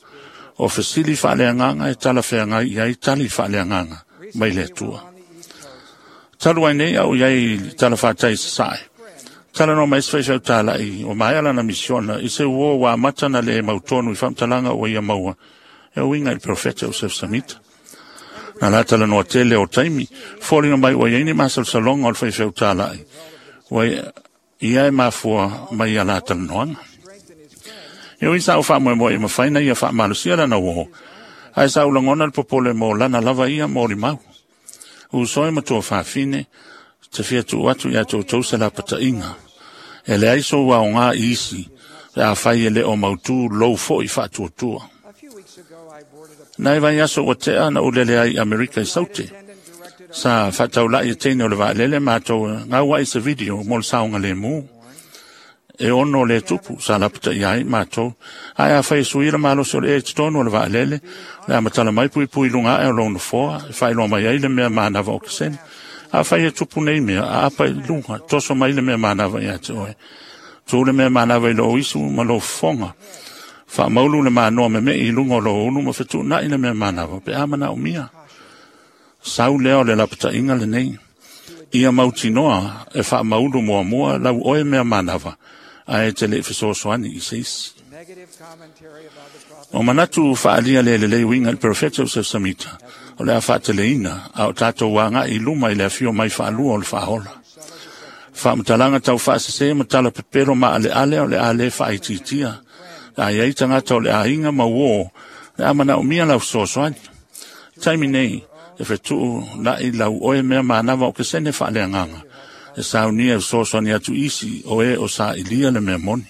O fesili faaleagaga e talafeagai i ai tali faaleagaga mai le Atua. Talu ai nei a o i ai i le talafatai i Sasae, talanoa mai se faifeau talai ua maea lana misiona i se uo ua amata ona le mautonu i faamatalaga ua ia maua e uiga i le Perofeta Joseph Smith. Na la talanoa tele o taimi, foliga mai ua i ai ni masalosaloga o le faifeau talai ua ia e mafua mai ia la talanoaga. E ui sa ou faamoemoe e mafai na ia faamalosia lana uo, ae sa ou lagona le popole mo lana lava ia molimau. Uso e matua fafine, te fia tuu atu iā toutou se lapataiga. E leai sou aoga i isi, Le a fai e le o mautu lou foi faatuatua. Nai vai aso ua tea na ulele ai Amerika i Saute. Sa faataulai e teine o le vaalele matou gau ai se video mo le saoga lemu. E ono le tupu sa lapataia ai matou. Ae afai e sui le malosi o le ea i totonu o le vaalele, le a matala mai puipui i luga ae o lou nofoa, e faailoa mai ai le mea manava o kesene. Afai e tupu nei mea, aapa i luga, toso mai le mea manava ia te oe. Tu le mea manava i lou isu ma lou fofoga. Faamaulu le manoa meme'i i luga o lou ulu ma fetuunai le mea manava pe a manaomia. Sau lea o le lapataiga lenei. Ia mautinoa e faamaulu muamua lau oe mea manava, ae te le i fesoasoani i se isi. O manatu faaalia le lelei uiga i le perofeta o Joseph Samita, o le a faateleina, a o tatou agai i luma i le afio mai faalua o le faaola. Faamatalaga tau faasese ma tala pepelo maaleale o le a le faaitiitia. A i ai tagata o le aiga ma uō, le a manaomia lau fesoasoani. Taimi nei, e fetuunai lau oe mea manava o kesene faaleagaga, e saunia e fesoasoani atu isi o e o sailia le mea moni.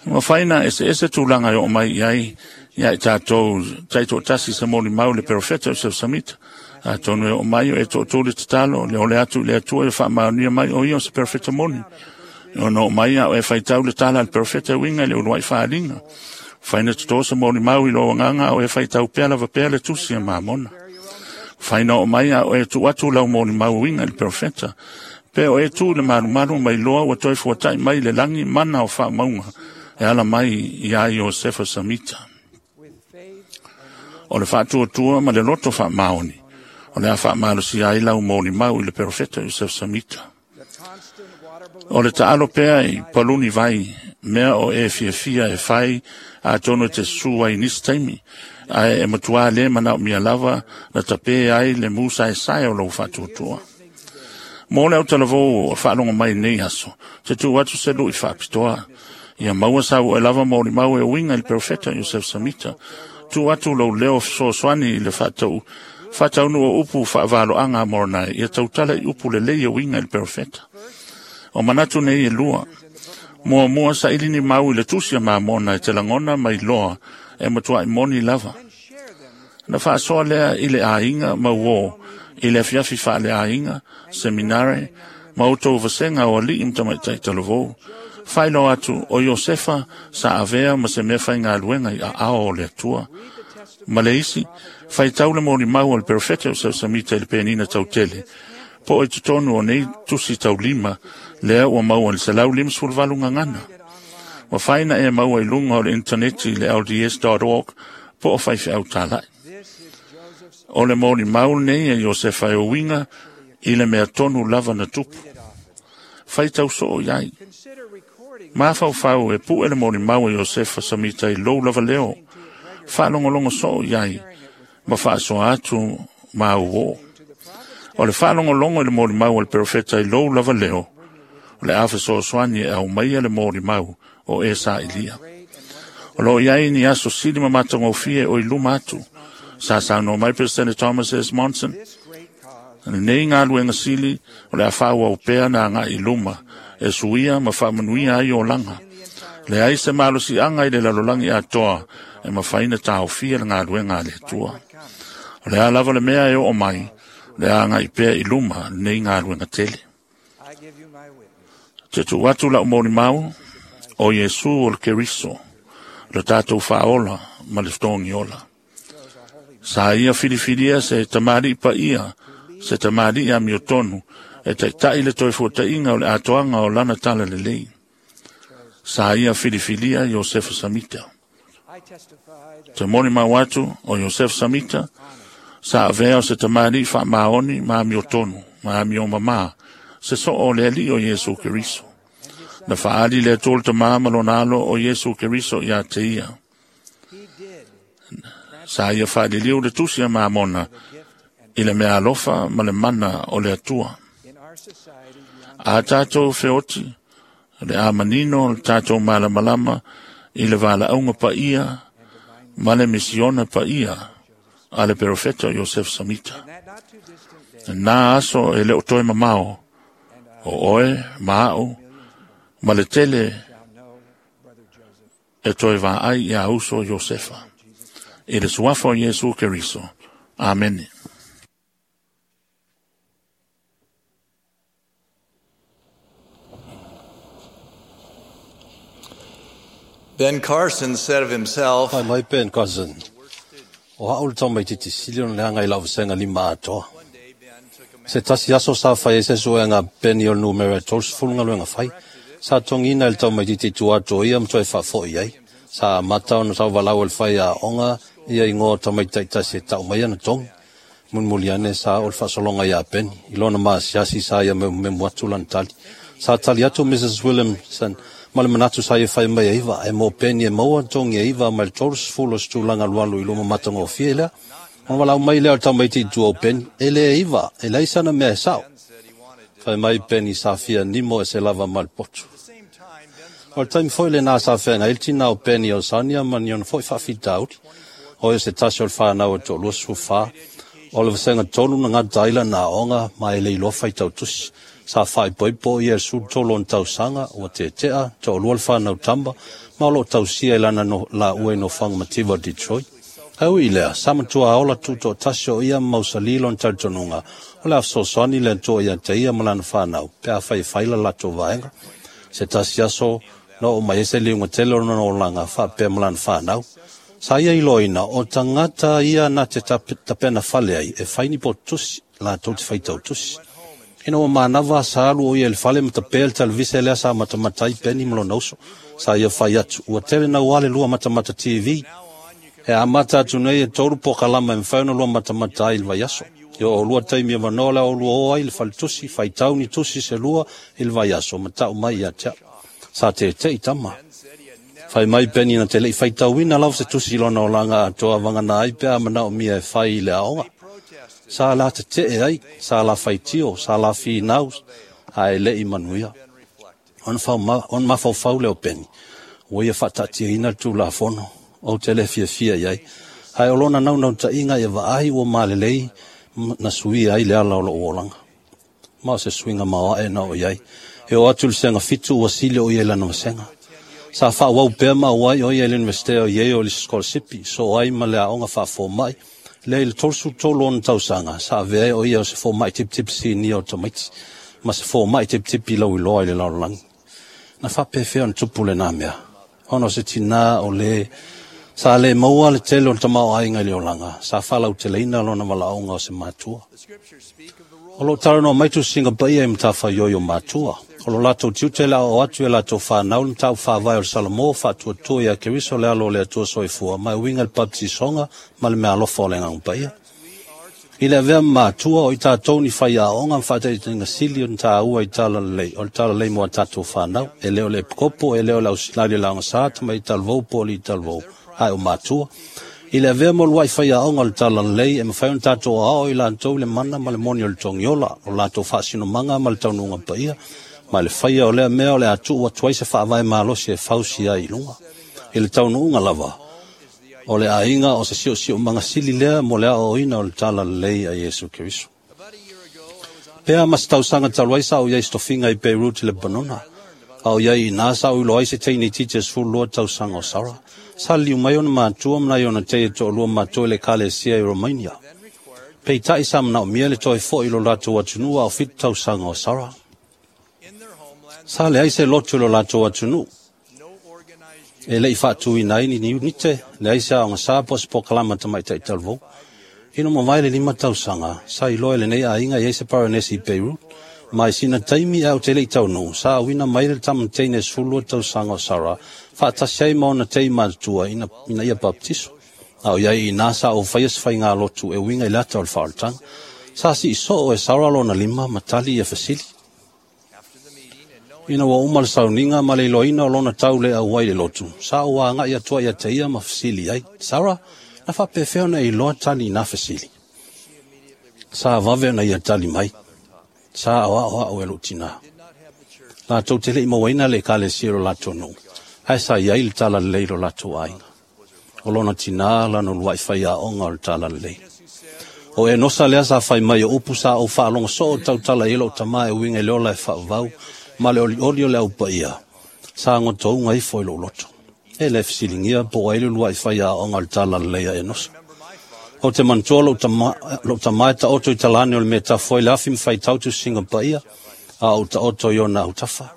Mafai na eseese tulaga e oo mai i ai ia i tatou taitoatasi se molimau le perofeta o Joseph Samita. Atonu e oo mai o e tootū le tatalo, le ole atu i le Atua e faamaonia mai o ia o se perofeta moni. E ono oo mai a o e faitau le tala a le perofeta e uiga i le uluai faaaliga. Mafai na totō se molimau i lou agaga a o e faitau pea lava pea le tusi a Mamona. Mafai na oo mai a o e tuu atu lau molimau e uiga i le perofeta. Pe o e tu i le malumalu mai loa ua toe fuatai mai le lagi mana o faamauga e ala mai ia Iosefa Samita. O le faatuatua ma le loto faamaoni, o le a faamalosia ai lau molimau i le perofeta Joseph Samita. O le taalo pea i paluni vai, mea o e fiafia e fai, atonu e te susu ai i nisi taimi, ae e matua le manaomia lava na tape ai le musaesae o lou faatuatua. Mo le autalavou o faalogo mai nei aso, te tuu atu se lui faapitoa. Ia maua sau e lava molimau e uiga i le perofeta Joseph Samita. Tuu atu lou leo fesoasoani i le faataunuu o upu faavaloaga a Moroni, ia tautala i upu lelei e uiga i le perofeta. O manatu nei e lua. Muamua saili ni mau i le tusi a Mamona e te lagona mai loa e matuai moni lava. Na faasoa lea i le aiga ma uō, i le afiafi faaleaiga, seminare, ma outou vasega o alii ma tamaitai talavou. Faailoa atu o Iosefa sa avea ma se mea faigaluega i aao o le Atua. Ma le isi, faitau le molimau o le perofeta o Joseph Samita i le penina tautele, po o i totonu o nei tusi taulima, lea ua maua i le 158 gagana. Mafai na e maua i luga o le intaneti le lds.org po o faifeau talai. O le molimau lenei e Iosefa e uiga i le mea tonu lava na tupu. Faitau soo i ai. Mafaufau e pue le molimau e Iosefa Samita i lou lava leo. Faalogologo soo i ai ma faasoa atu ma uō. O le faalogologo i le molimau a le perofeta i lou lava leo, o le a fesoasoani e aumaia le molimau o e sailia. O loo i ai ni aso sili ma matagofie o i luma atu. Sa saunoa mai President Thomas S. Monson. Lenei galuega sili o le a faaauau pea na agai i luma e suia ma faamanuia ai olaga. Leai se malosiaga i le lalolagi atoa e mafai na taofia le galuega a le Atua. O le a lava le mea e oo mai, le a agai pea i luma lenei galuega tele. Te tuu atu lau molimau, o Iesu o le Keriso, le tatou faaola ma le fetogiola. Sa ia filifilia se tamalii paia, se tamalii amiotonu, e taitai le toe fuataiga o le atoaga o lana tala lelei. Sa ia filifilia Iosefa Samita. Te molimau atu o Iosefa Samita, sa avea o se tamalii faamaoni ma amiotonu, ma amiomamā, se soo o le Alii o Iesu Keriso. Na faali le Atua le Tamā ma lona alo o Iesu Keriso ia te ia. Sa ia faaliliu le tusi a Mamona i le mea alofa ma le mana o le Atua. A tatou feoti, le a manino le tatou malamalama i le valaauga paia ma le misiona paia a le perofeta o Joseph Samita. Na aso e le o toe mamao, o oe ma au, ma le tele E toe vaai iā uso Iosefa. I le suafa o Iesu Keriso. Amene. Ben Carson said of himself, Fai mai Ben Carson. O ha'u le tamaitiiti sili ona leaga i la'u vasega lima atoa. Se tasi aso sa fai ai se suega peni o le numera e 30 galuega fai. Sa togiina i le tamaitiiti i tua atu o ia ma toe faafo'i ai. Sa amata ona tauvalau e le fai aoga ia igoa o tamaiti taitasi e ta'u mai ana togi. Mulimuli ane sa oo le faasologa iā Peni. I lona masiasi sa ia memumemu atu lana tali. Sa tali atu Mrs. Williamson ma le manatu sa ia fai mai e iva, ae mo Peni e maua togi e iva mai le 30 o se tulaga alualu i luma matagofie lea. Ona valaau mai lea o le tamaiti i tua o Peni, e lē iva, e leai sana mea e sa'o. Fai mai Peni sa fia nimo e se lava ma le potu. O le taimi foi lenā sa feagai ai le tinā o Peni o Sania ma ni ona foi faafitauli. O ia se tasi o le fanau e toa-24. O le vasega tolu na gata ai lana aoga ma e le iloa faitau tusi. Sa faaipoipo ia i le 13 ona tausaga, ua tete'a, toalua le fanau tama, ma o lo'o tausia i lana laua i nofoaga mativa o Detroit. Ae ui i lea, sa matua ola tuto'atasi o ia ma mausali lona talitonuga, o le a fesoasoani le Atua ia te ia ma lana fanau, pe afai e fai la latou vaega. Se tasi aso, na oo mai ai se liuga tele o lona olaga faapea ma lana fanau. Sa ia iloaina, o tagata ia na te tapena fale ai, e fai ni potutusi, latou te faitau tusi. Ina ua manava sa alu o ia i le fale ma tapea le televise lea sa matamata ai Peni ma lona uso. Sa ia fai atu, ua tele naua le lua matamata TV. E amata atu nei e tolu pokalama e mafai ona lua matamata ai i le vaiaso. I o oulua taimi avanoa o le a oulua o ai i le faletusi, faitau ni tusi se lua i le vaiaso ma ta'u mai ia te a'u. Sa tete'i tama. Fai mai Peni na te le'i faitauina lava se tusi i lona olaga atoa vagana ai pe a manaomia e fai i le aoga. Sa la tete'e ai, sa la faitio, sa la finau, ae le'i manuia. Ona mafaufau lea o Peni, ua ia faataatiaina le Tulafono, ou te le fiafia i ai. Ae o lona naunautaiga ia vaai ua malelei na suia ai le ala o lo'u olaga. Ma o se suiga maoae na oo i ai. E oo atu i le sega fitu ua sili o ia i lana vasega. Sa faaauau pea ma auai o ia i le Universite o Yale i le sikolasipi, soo ai ma le aoga faafoma'i, lea i le 33 ona tausaga, sa avea ai o ia o se foma'i tipitipi sinia o tamaiti, ma se foma'i tipitipi lauiloa i le lalolagi. Na faapefea ona tupu lenā mea? Ona o se tinā o lē sa le maua le tele o le tamaoaiga i le olaga, sa faalauteleina lona valaauga o se matua. O lo o talanoa mai tusiga paia i matafaioi o matua. O lo latou tiute le aoao atu i a latou fanau le mataupu faavae o le Salamo, faatuatua ia Keriso le Alo o le Atua Soifua, ma e uiga i le baptisoga ma le meaalofa o le Agaga Paia. I le avea ma matua, o i tatou ni faiaoga ma faataitaiga sili ona taua i talalelei, o le talalelei mo a tatou fanau, e le o le epikopo, e le o le ausilali o le aogasā, tamaitai talavou po o alii talavou, ae o matua. I le avea ma uluai faiaoga o le talalelei, e mafai ona tatou aoao i latou i le mana ma le moni o le togiola, o latou faasinomaga ma le taunuuga paia, ma le faia o lea mea o le a tuu atu ai se faavae malosi e fausia ai i luga. I le taunuuga lava, o le aiga o se siosiomaga sili lea mo le aoaoina o le talalelei a Iesu Keriso. Pe a ma se tausaga talu ai sa ou i ai i se tofiga i Beirut i Lepanona. A o i ai i inā sa ou iloa ai se teine itiiti e 12 tausaga o Sarah. Sa liliu mai ona matua ma nai ona tei e toalua matua i le ekalesia i Romania. Peitai sa manaomia le toe fo'i i lo latou atunuu a o 7 tausaga o Sarah. Sa leai se lotu i lo latou atunuu. E le i faatuina ai ni iunite, leai se aogasā po o se pokalama tamaitai talavou. Ina ua mavae le 5 tausaga, sa iloa e lenei aiga i ai se Paranesi i Beirut, ma i sina taimi ae ou te le i taunuu, sa auina mai le tama teine e 12 tausaga o Sarah, faatasi ai ma ona tei matutua ina, ina ia baptiso. A o i ai i inā sa ou faia se faigalotu e uiga i le ata o le faaolataga. Sa sii soo e Sarah lona lima ma tali ia fesili. Ina ua uma le sauniga ma le iloaina o lona tau le auai i le lotu, sa ou agai atu ai ia te ia ma fesili ai, Sarah, na faapefea ona e iloa tali i nā fesili? Sa vave ona ia tali mai, Sa aoao a'u e lo'u tinā. Latou te le i mauaina le ekalesia i lo latou nuu, ae sa i ai le talalelei i lo latou aiga. O lona tinā lana uluai faiaoga o le talalelei. O Enosa lea sa fai mai o upu sa ou faalogo soo tautala i ai lo'u tamā e uiga i le ola e faavavau ma le olioli o le au paia, sa gotouga ifo i lou loto. E le fesiligia po o ai le uluai faiaoga o le talalelei a Enosa. Ou te manatua lou tama e taoto i talane o le mea tafu ai le afi ma faitau tusiga paia, a ou taoto i ona autafa.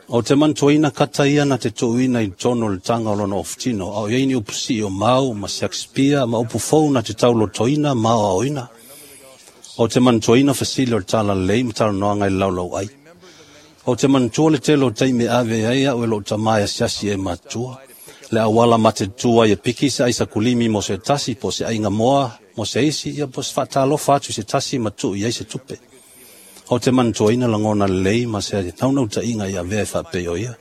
Ou te manatuaina kata ia na te tuuina i totonu o le taga o lona ofutino, a o i ai ni upu sii o mau ma Shakespeare ma upu fou na te taulotoina ma aoaoina. Ou te manatuaina fesili o le talalelei ma talanoaga i le laulauai. Ou te manatua le tele o taimi e ave ai au e lou tama e asiasi e matutua. Le auala matetutu ai e piki se aisakulimi mo se tasi, po o se aiga moa mo se isi, ia po o se faatalofa atu i se tasi ma tuu i ai se tupe. Ou te manatuaina lagona lelei ma se naunautaiga i avea e faapei o ia.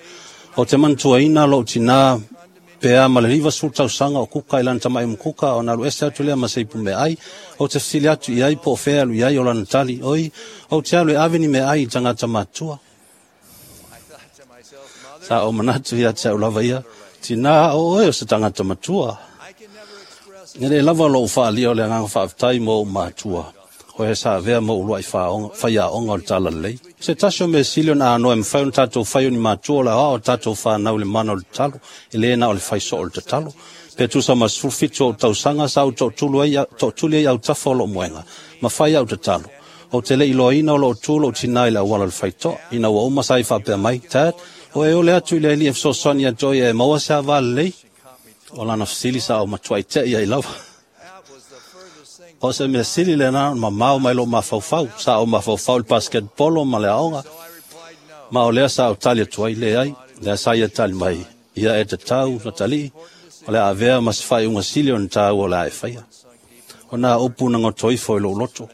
Ou te manatuaina lou tinā pe a ma le 50 tausaga o kuka i lana tama'i mukuka ona alu ese atu lea ma se ipu meaai. Ou te fesili atu i ai po o fea e alu i ai o lana tali, oi, ou te alu e ave ni meaai i tagata matutua. Sa ou manatu ia te au lava ia, tinā o oe o se tagata matua. E le lava lou faaalia o le agaga faafetai mo ou matua, o e sa avea ma uluai faiaoga o le talalelei. Se tasi o mea sili ona anoa e mafai ona tatou fai o ni matua o le aoao o tatou fanau i le mana o le tatalo, e le na o le fai soo o le tatalo. Pe tusa ma 17 ou tausaga sa ou tootuli ai autafa o lou moega, ma fai au tatalo. Ou te le iloaina o loo tu lou tinā i le auala o le faitoa. Ina ua uma sa i faapea mai, Dad, o e ole atu i le Alii e fesoasoani ia te oe e maua se ava lelei. O lana fesili sa o matuai te ia i lava. O se mea sili lena ona mamao mai lou mafaufau. Sa ou mafaufau i le basketball ma le aoga. Ma o lea sa ou tali atu ai, leai, lea sa ia tali mai. Ia e tatau na talii, o le avea ma se faaiuga sili ona tāua o le a e faia. O nā upu na gotoifo i lou loto.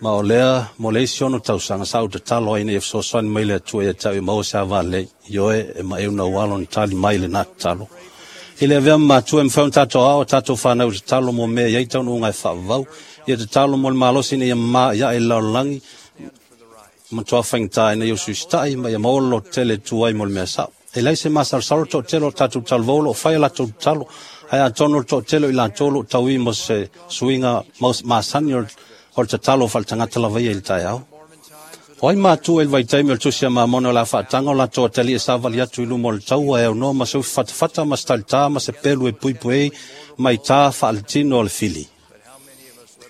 Ma o lea, mo le isi ono tausaga sa ou tatalo ai nei e fesoasoani mai le Atua ia te au e maua se ava lelei. Ioe e maeu na ua alo ona tali mai lenā tatalo. I le avea ma matua e mafai ona tatou aoao tatou fanau i tatalo mo mea e i ai taunuuga e faavavau. Ia tatalo mo le malosi ina ia mamā iae i le lalolagi, matua faigata ina ia usuisitai ma ia maua le lototele e tu ai mo le mea sao. E leai se masalosalo le toatele o tatou talavou o loo fai a latou tatalo, ae atonu o le toatele o i latou o loo tauī mo se suiga masani o le tatalo faaletagata lava ia i le taeao. O ai matua i le vaitaimi o le tusi a Mamona o le a faataga o latou atalii e savali atu i luma o le taua e aunoa ma se ufi fatafata ma se talitā ma se pelu e puipuiai mai tā faaletino o le fili.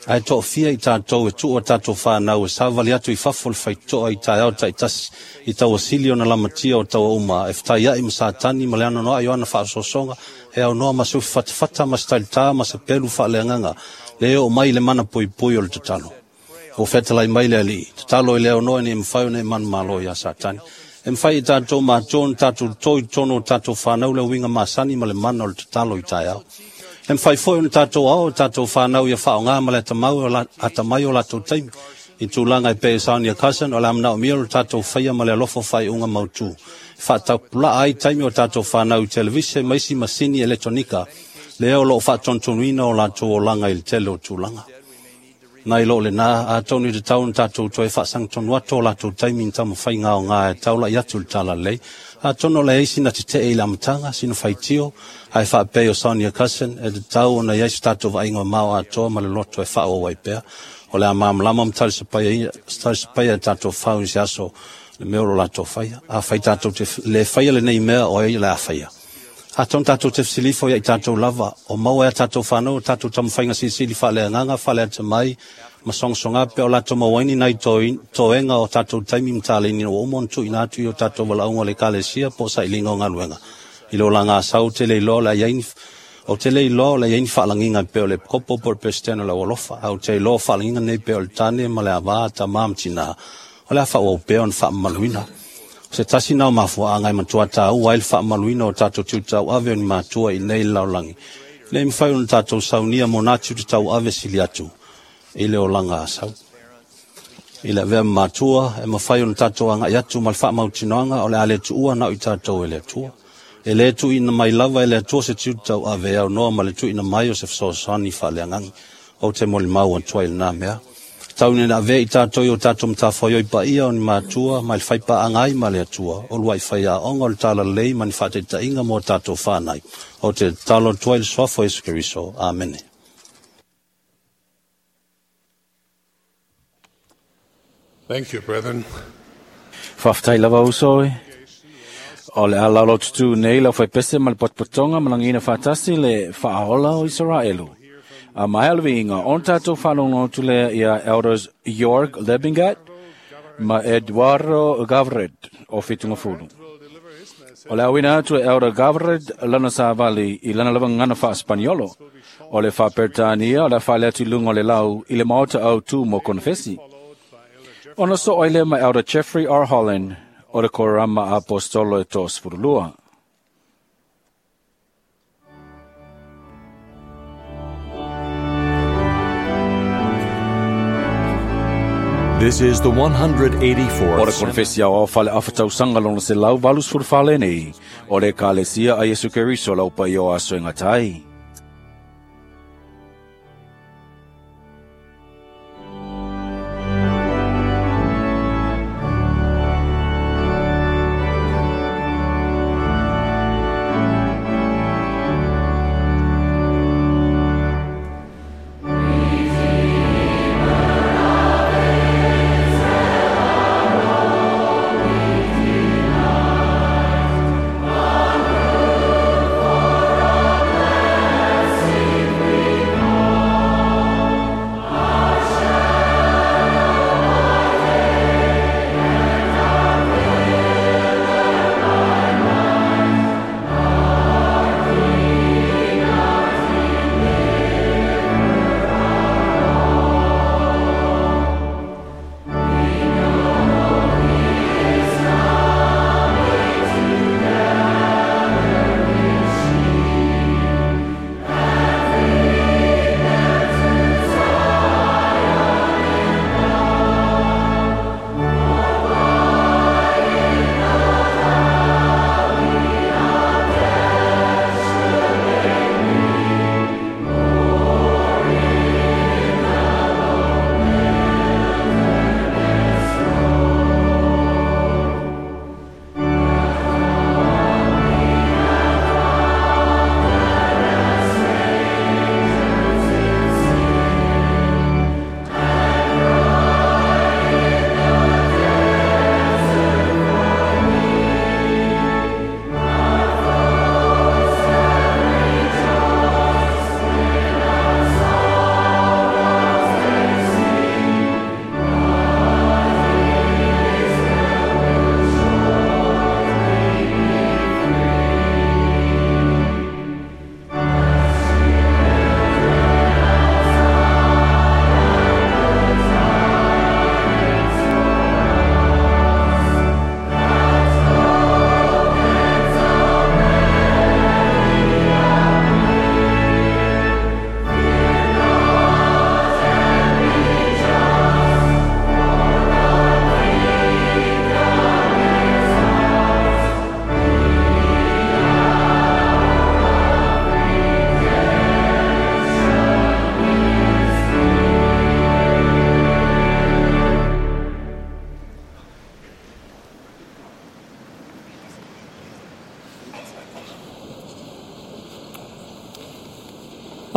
Ae toafia i tatou e tuu a tatou fanau e savali atu i fafo o le faitotoa i taeao taitasi i tauasili ona lamatia o taua uma e fetaiai ma Satani ma le anoanoai o ana faasoasoga e aunoa ma se ufi fatafata ma se talitā ma se pelu faaleagaga le oo mai i le mana puipui o le tatalo. Ua fetalai mai le Alii, tatalo i le aunoa ina ia mafai ona e manumalo iā Satani. E mafai i tatou matua ona tatou toto i totonu o tatou fanau le uiga masani ma le mana o le tatalo i taeao. E mafai foi ona tatou aoao i tatou fanau ia faaaoga ma le atamai o latou taimi. I tulaga e pei o Sonia Cousin, o le a manaomia lo tatou faia ma le alofa o faaiuga mautu. E faatapulaa ai taimi o tatou fanau i televise ma isi masini eletonika, lea o loo faatonutonuina o latou olaga i le tele o tulaga. Nai lo lenā, atonu i tatau ona tatou toe faasagitonu atu o latou taimi i taumafaiga aoga e taulai atu i le talalelei. Atonu o le ai sina tetee i le amataga, sina faitio, ae faapei o Sonia Cousin, e tatau ona i ai se tatou vaaiga mamao atoa ma le loto e faaauau ai pea. O le a malamalama ma talisapaia e tatou fau i se aso le mea o lo latou faia. Afai tatou te le faia lenei mea, o ai o le a faia. Atonu tatou te fesilifo ia i tatou lava, o maua e a tatou fanau o tatou taumafaiga silisili faaleagaga, faaleatamai, ma sogasoga pea o latou maua ai ni nai toega o tatou taimi ma taleni ina ua uma ona tuuina atu i o tatou valaauga o le Ekalesia po o sailiga o galuega. I le olaga asau, ou te le iloa o le a i ai ni Ou te le iloa o le a i ai ni faalagiga e pei o le epikopo po o le Peresetene o le Aualofa, ae ou te iloa o faalagiga nei pei o le tane ma le ava, tama ma tinā, o le a faaauau pea ona faamamaluina. O se tasi na o mafuaaga e matua tāua ai le faamamaluina o tatou tiute tauave o ni matua i nei i le lalolagi, ina ia mafai ona tatou saunia mo nā tiute tauave sili atu i le olaga asau. I le avea ma matua, e mafai ona tatou agai atu ma le faamautinoaga o le a le tuua na o i tatou e le Atua. E le tuuina mai lava e le Atua se tiute tauave e aunoa ma le tuuina mai o se fesoasoani faaleagaga. Ou te molimau atu ai i lenā mea. Tau ina avea i tatou i o tatou matafaioi paia o ni matua mai le faipaaga ai ma le Atua, o luai faiaoga o le talalelei ma ni faataitaiga mo tatou fanai. Ou te tatalo atu ai i le suafa o Iesu Keriso. Amene. Thank you, brethren. Faafetai lava uso e. O le a laulau tutu nei lau faipese ma le potopotoga ma lagiina faatasi le faaola o Isaraelu. A maea le viiga, ona tatou faalogologo atu lea ia Elders Jorg Lebingat ma Eduardo Gavred o Fitungafulu. O le auina atu e Elder Gavred lana savali i lana lava gagana faa-Spaniolo. O le faa-Peretania o le a faale atu i luga o le lau i le maota autū mo konefesi. Ona soo ai lea ma Elder Jeffrey R. Holland o le Korama Aposetolo e 32. This is the 184th O le konefesi aoao faaleafa tausaga lona 184 lenei, o le Ekalesia a Iesu Keriso lau paia o aso e gata ai.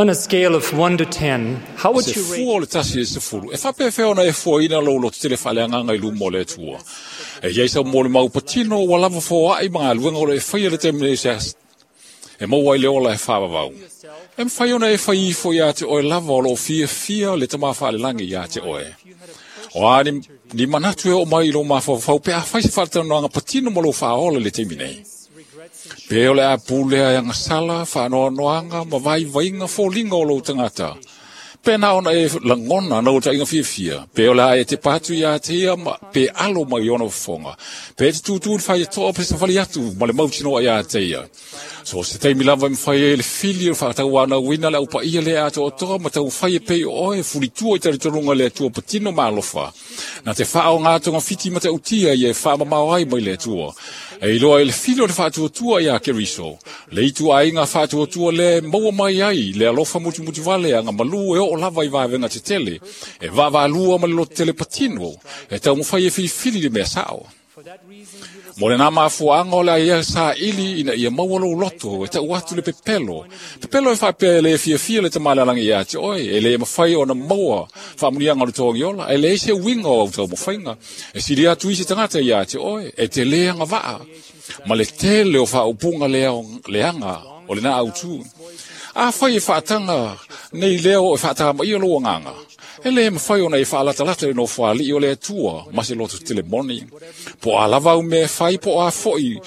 On a scale of 1 to 10, how would Se you rate fua o le tasi i le sefulu, e faapefea ona e fuaina lou lototele faaleagaga i luma o le Atua. E iai sau mo le mau patino ua lava foaʻi ma galuega o lo e faia le taimi nei se e maua ai le ola e faavavau. E mafai ona e fai ifo iā te oe lava o loo fiafia le tamā faalelagi iā te oe. O a ni, ni manatu e oo mai i lou mafaufau pe afai se faatalanoaga patino ma lou faaola i le taimi nei. Pe o le a pulea e agasala, faanoanoaga ma vaivaiga foliga o lou tagata. Pe na ona e lagona na taiga fiafia, pe o le a e te patu iā te ia ma, pe alo mai i ona fofoga. Pe e te tūtū le fai e toa pe safali atu ma le mautinoa iā te ia. So se taimi lava e mafai ai le fili o le faatauanauina le aupaia lea atoatoa ma taumafai e pei o oe fulitua i talitonuga le Atua patino ma alofa. Na te faaoga togafiti ma tautia ia e faamamao ai mai le Atua. E iloa i le fili o le faatuatua iā Keriso. Le ituaiga faatuatua lea e maua mai ai le alofa mutimutuvale agamalū e oo lava i vavega tetele. E vaavaalua ma le lototele patino. E taumafai e filifili le mea sao. Mo lenā mafuaaga o le a ia saili ina ia maua lou loto e tau atu le pepelo. Pepelo e faapea e lē fiafia le tamā le alagi iā te oe, e lē mafai ona maua faamuniaga o le togiola, e leai se uiga o au taumafaiga. E sili atu isi tagata iā te oe, e te lē agavaa. Ma le tele o faaupuga leaga o lena autū. Afai e faataga nei leo e faatamaia lou agaga, e lē mafai ona e faalatalata i le nofoalii o le Atua ma se loto tele moni. Po o a lava au mea e fai, po o a foʻi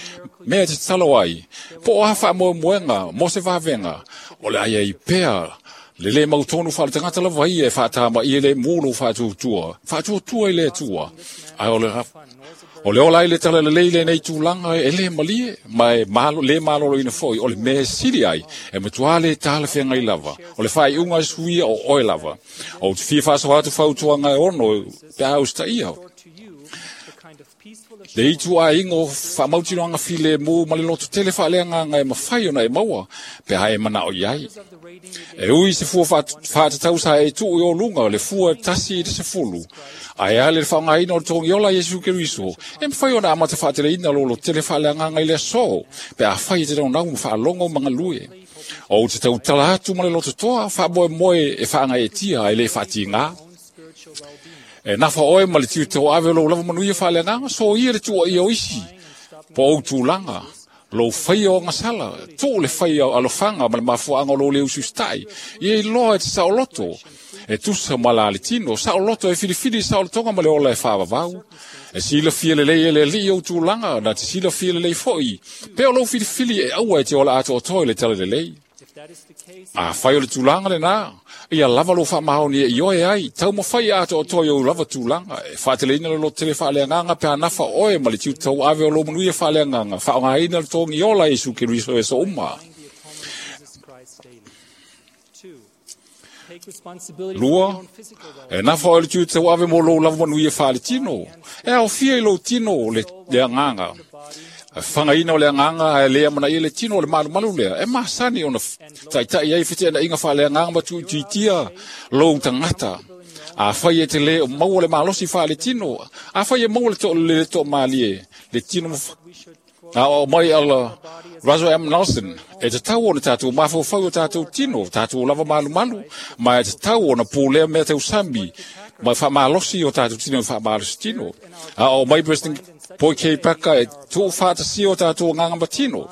mea e tatalo ai, po o a faamoemoega mo se vavega, o le a iai pea le lē mautonu faaletagata lava ia e faatamaia le mu lou faatuatua, faatuatua i le Atua. Ae o le ola ai le talalelei lenei tulaga e lē malie ma e lē maloloina foʻi o le mea sili ai e matuā lē talafeagai lava o le faaiuga e suia o oe lava. Ou te fia faasoa atu fautuaga e ono pe a usitaia le itu aiga o faamautinoaga filemu ma le loto tele faaleagaga e mafai ona e maua pe a e manao i ai. E ui se fua faatatau sa e tuu i oluga le fua e 1 i le 10, ae a le faaaogaina o le togiola Iesu Keriso, e mafai ona amata faateleina lolo tele faaleagaga i le aso, pe a fai e te naunau ma faalogo ma galue. Ou te tautala atu ma le lototoa faamoemoe e faagaeetia ae le faatigā. E nafa oe ma le tiute o ave o lou lava manuia faaleagaga, soia le tuuaia o isi, po o ou tulaga, lou faia o agasala, tuu le faia alofaga ma le mafuaaga o lou le usiusitai, ia iloa e te saoloto, e tusa ma la le tino, saoloto e filifili saolotoga ma le ola e faavavau. E silafia lelei e le alii ou tulaga, na te silafia lelei foʻi, pe o lou filifili e aua e te ola atoatoa i le talalelei. Afai o le tulaga lenā, ia lava lou faamaoni e ioe ai, taumafai atoatoa i ou lava tulaga, e faateleina le loto tele faaleagaga pe a nafa oe ma le tiute tauave o lou manuia faaleagaga, faaaogaina le togiola Iesu Keriso e aso uma. 2, e nafa oe le tiute tauave mo lou lava manuia faaletino, e aofia i lou tino le agaga. Fagaina o le agaga ae lē amanaia le tino o le malumalu lea, e masani ona taʻitaʻi ai feteʻenaʻiga faaleagaga ma tuuitiitia lou tagata. Afai e te lē o maua le malosi faaletino, afai e maua le toamalie le tino aoao mai ala Russell M. Nelson, e tatau ona tatou mafaufau i o tatou tino, tatou lava malumalu, ma e tatau ona pulea mea tausami ma faamalosi o tatou tino i faamalosi tino. Aoao mai President Boyd K. Packer e tuufaatasia o tatou agaga ma tino,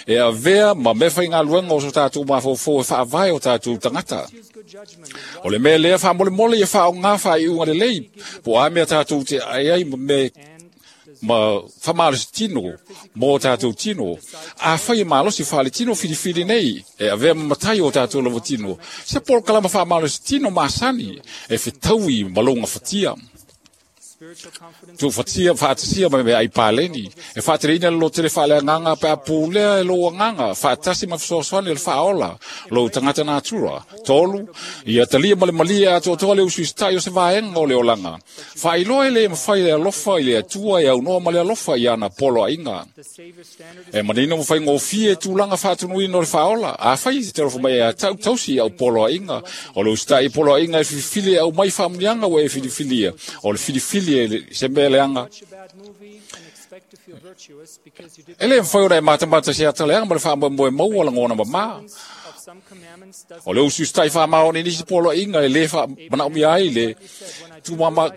e avea ma mea faigaluega o so tatou mafaufau e faavae o tatou tagata. O le mea lea faamolemole ia faaogā faaiuga lelei, po o a mea tatou te ae ai ma mea ma faamalosi tino mo tatou tino. Afai e malosi faaletino filifili nei, e avea ma matai o tatou lava tino, se polokalama faamalosi tino masani e fetaui ma louga fatia. Tuufatia faatasia ma mea ai paleni, e faateleina le lotele faaleagaga pe a pulea e lou agaga, faatasi ma fesoasoani o le faaola lou tagata natura. 3, ia talia ma le malie atoatoa le usuisitai o se vaega o le olaga. Faailoa e lē mafai le alofa i le Atua e aunoa ma le alofa i ana poloaiga. E manino ma faigofie tulaga faatunuina o le faaola. Afai e te alofa mai e atau tausi i au poloaiga, o le usitai i poloaiga e filifili e aumai faamuniaga ua e filifilia, o le filifili e se mea leaga. E lē mafai ona e matamata se ataleaga ma le faamoemoe maua lagona mamā. O le usiusitai faamaoni i nisi poloaiga e lē faamanaomia ai le tumama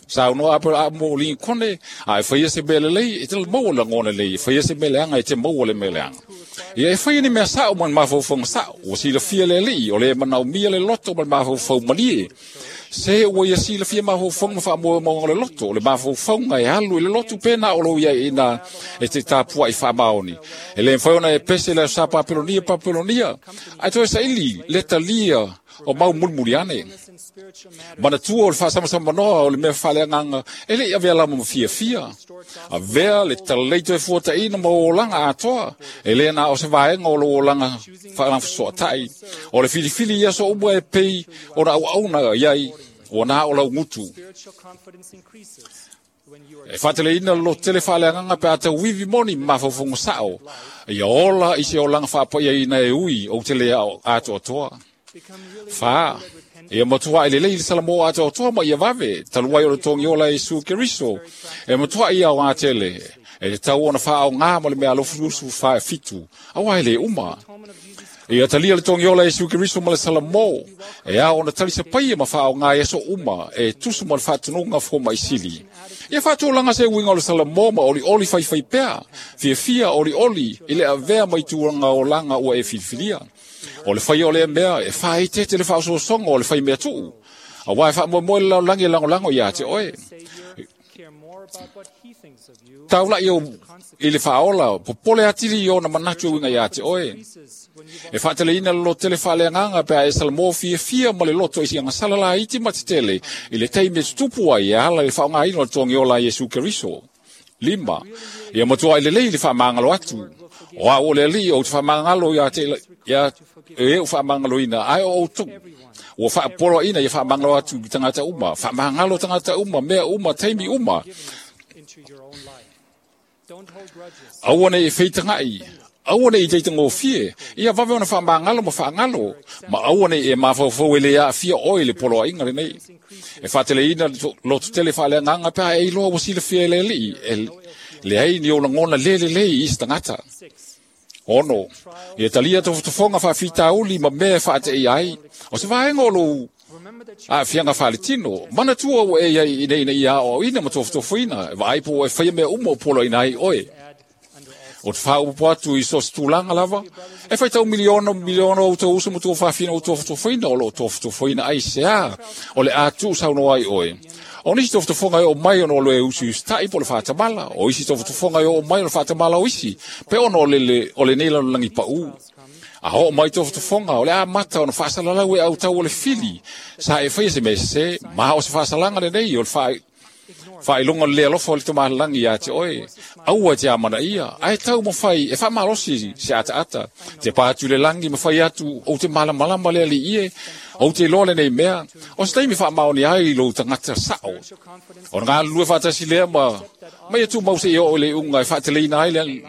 saunoa mo Lincoln, a e faia se mea lelei e te maua le lagona lelei, e faia se mea leaga e te maua le mea leaga. Ia e faia ni mea sao ma le mafaufauga sao, ua silafia le alii, o le manaomia le loto ma le mafaufau malie. Se ua ia silafia mafaufauga ma faamoemoega o le loto, o le mafaufauga e alu i le lotu pe na o lou iai ina e te tapuaʻi faamaoni. E lē mafai ona e pese le aso sa Papelonia, ae toe saili le talia o mau mulimuli ane. Manatua o le faasamsamanoa o le mea faaleagaga e leʻi avea lama ma fiafia. Avea le talalei toe fuataʻina ma ou olaga atoa, e lē na o se vaega o lou olaga faalafasoatai. O le filifili ia aso uma e pei ona auauna iai ua na o laugutu. E faateleina le lototele faaleagaga pe a tauivi moni ma mafaufauga sao, ia ola i se olaga faapaiaina e ui ou te lē atoatoa. 4, ia matuaʻi lelei le salamo atoatoa ma ia vave, talu ai o le togiola Iesu Keriso, e matuaʻi ia aogā tele, e tatau ona faaogā ma le mea alofulusu 7, auā e lē uma. Ia talia le togiola Iesu Keriso ma le salamo, e ao na tali sapaia ma whaonga e so uma, e tusu ma le whaatununga fo maisili. Ia whaatūlanga se uinga o le salamo ma oli oli whai whai pea, fia fia oli oli, i le avea mai tūranga o langa ua e filifilia. O le whai o le mea, e whae te le whaososonga o le whai mea tuu. A wai wha moe moe lau langi lango lango ia te oe. Taula i o i le whaola, popole atili i ona manatu uinga ia te oe. E whaatele ina lo tele whaaleanganga pea e salamo fia fia ma le loto isi anga salala iti ma te tele i le teime tutupu ai e ala le whaonga ino le tongiola Iesu Keriso. 5. Ia matua i le lei le whaamangalo atu. O a o le ali o te whaamangalo ia te ia e o whaamangalo ina ai o tu. Ua whaapolo ina ia whaamangalo atu ki tangata uma. Whaamangalo tangata uma, mea uma, teimi uma. Aua nei e whitangai. Aua nei i te ngofie. Ia wawe ona whaamangalo ma whaangalo. Ma aua nei e mawhauwhau e le a fia oi le polo a inga le nei. E whaatele ina lotu tele whaalea nganga pea e iloa wasila fia e le li. E le ai ni o ngona lele lei i tangata. 6. Ia talia tofotofonga whaafitauli ma mea whaate i ai. O se vaenga o lou a fianga whaletino. Mana tua o e ai ina ina ia o ina ma tofotofoina. Vaaipo e whaia mea umo o polo ina ai oe. O te whaaupo atu i so se tūlanga lava. E whai tau miliona, miliona o tau uso mo tō whawhina o tofotofoina o lo tofotofoina ai se a. O le atu sauno ai oe. O nisi tofotofonga e o mai ono o le usu ustai po le whaatamala. O isi tofotofonga e o mai ono whaatamala o isi. Pe ono o le neila o langi pau. A ho mai tofotofonga o le a mata ono whaasalalau e au tau o le fili. Sa e whaia se me se, maha o se whaasalanga le nei o le whae. Whailonga le alofa o le tomahalangi ia te oe. Aua te amana ia. Ai tau mo whai, e whamalosi se ata ata. Te pātu le langi ma whai atu o te malamalama le ali ie. O te loa le nei mea. O se taimi whaamaoni ai lo tangata sao. O ngā lua whaatasi lea ma. Mai atu mau se i o le unga e whaateleina ai le.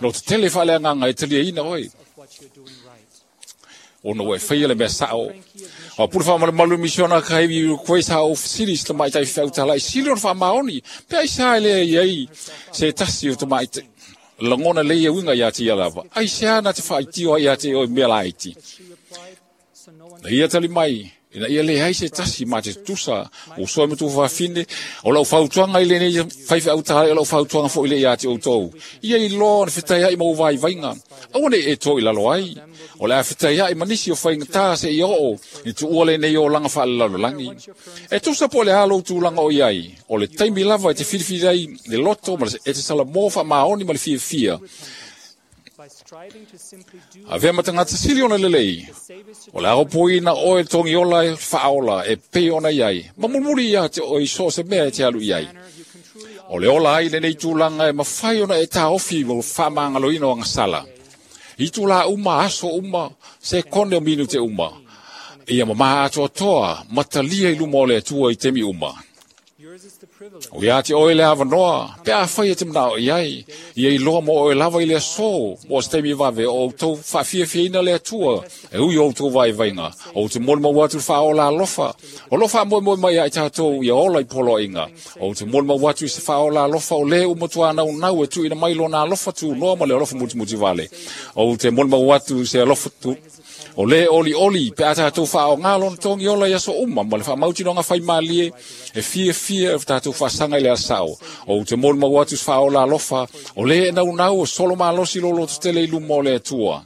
Lo te tele whaalea nganga e talia ina oe. O no e whaia le mea sao. O pura wha malu misiona ka hewi koe sa o series te mai tai whautala i sili o wha maoni. Pea i sa le iai se tasi o te mai te langona le ia winga ia te ia lava. Ai se ana te whaitio ia te o mea laiti. Na ia tali mai, ina ia le hai se tasi ma te tusa o soe matu whawhine o lau whautuanga i le nei whaiwha autara o lau whautuanga fo i le ia te o tau. Ia i loa na whitai ai mau vai vainga. Aua nei e tō i lalo ai. O le a whitai ai manisi o whainga tā se i oo i tu ua le nei o langa whaalalalo langi. E tusa po le alo tūlanga o iai. O le taimi lava e te whiriwhiri ai le loto ma e te sala mō wha maoni ma le fia fia. A vea matangata sili ona lelei. O le aropo ina oe tongi ola e whaola e pe ona iai. Ma mumuri ia te oi so se mea e te alu iai. O le ola ai le nei tūlanga e mawhai ona e tā ofi mo whamangalo ina o ngasala. I tūla uma, aso uma, se kone o minu te uma. Ia mamaha atoa toa, matalia i luma o le atua i temi uma. O ia te oe le awanoa, pe a whai e te mnao i ai, ia i loa mo oe lava i le aso, mo se teimi wawe o tau whaafiafia ina le atua, e ui o tau vai vainga, o te mole mau atu whaola alofa, o lofa moe moe mai ai tātou ia ola i polo inga, o te mole mau atu i se whaola alofa o le umatua nau nau e tu ina mai lona alofa tu noa ma le alofa muti muti vale, o te mole mau atu se alofa tu, o le oli oli, pe a tātou whao ngā lona tongi ola ia so uma, ma le wha mautino ngā whai mālie, e fia fia e tātou whasanga i le asao. O te mole mau atu whaola alofa, o le e nau nau o solo malosi lolo te tele i luma o le atua.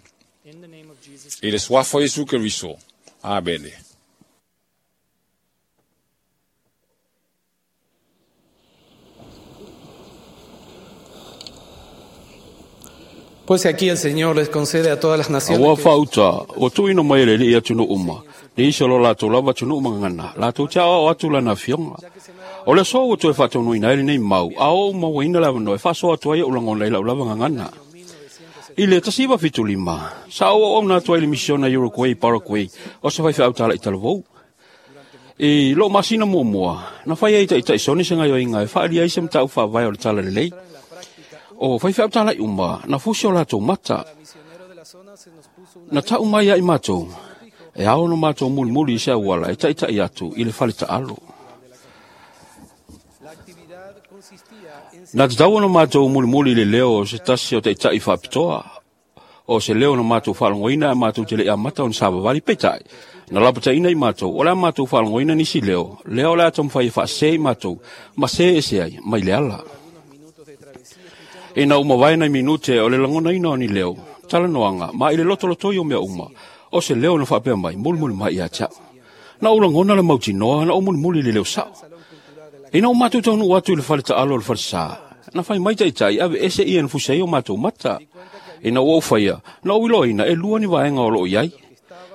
I le suafa Iesu Keriso. Amene. Pues aquí el Señor les concede a todas las naciones. Aua whauta, o tui no mai le li atu no uma. Ni iso lo lātou lava atu no uma ngana. Lātou tia o atu lana fionga. O le so o toe whātonu ina ele nei mau. A o uma wa ina lava no e whaso atu ai o langona i lau lava ngana. I le tasiva fitu lima. Sa o o nā tua i le misiona Uruguay, Paraguay. O se whai whautala i talavou. I lo masina mua mua. Na whai ai tai soni se ngai o inga e whaali ai se mtau whawai o le tala lelei. O whai whautala i uma, na fusi o lātou mata. Na tau mai ai mātou. E ao no mātou muli muli i se awala e taitai atu i le whale ta'alo. Na te tau no mātou muli muli i le leo o se tasi o taitai whapitoa. O se leo na mātou whalangoina a mātou te le amata o na savavali peitai. Na lapataina i mātou, o le a mātou whalangoina nisi leo, lea o le a taumafai e faasē i mātou, ma sē ese ai, mai le ala. Ina ua mavae nai minute o le lagonaina o ni leo, talanoaga, ma i le lotolotoi o mea uma, o se leo na faapea mai, mulimuli mai ia te au. Na ou lagona le mautinoa, na ou mulimuli i le leo sao. Ina ua matou taunuu atu i le fale taalo o le falesa, na fai mai taitai ave ese ia na fusi ai o matou mata. Ina ua ou faia, na ou iloaina e lua ni vaega o loo i ai.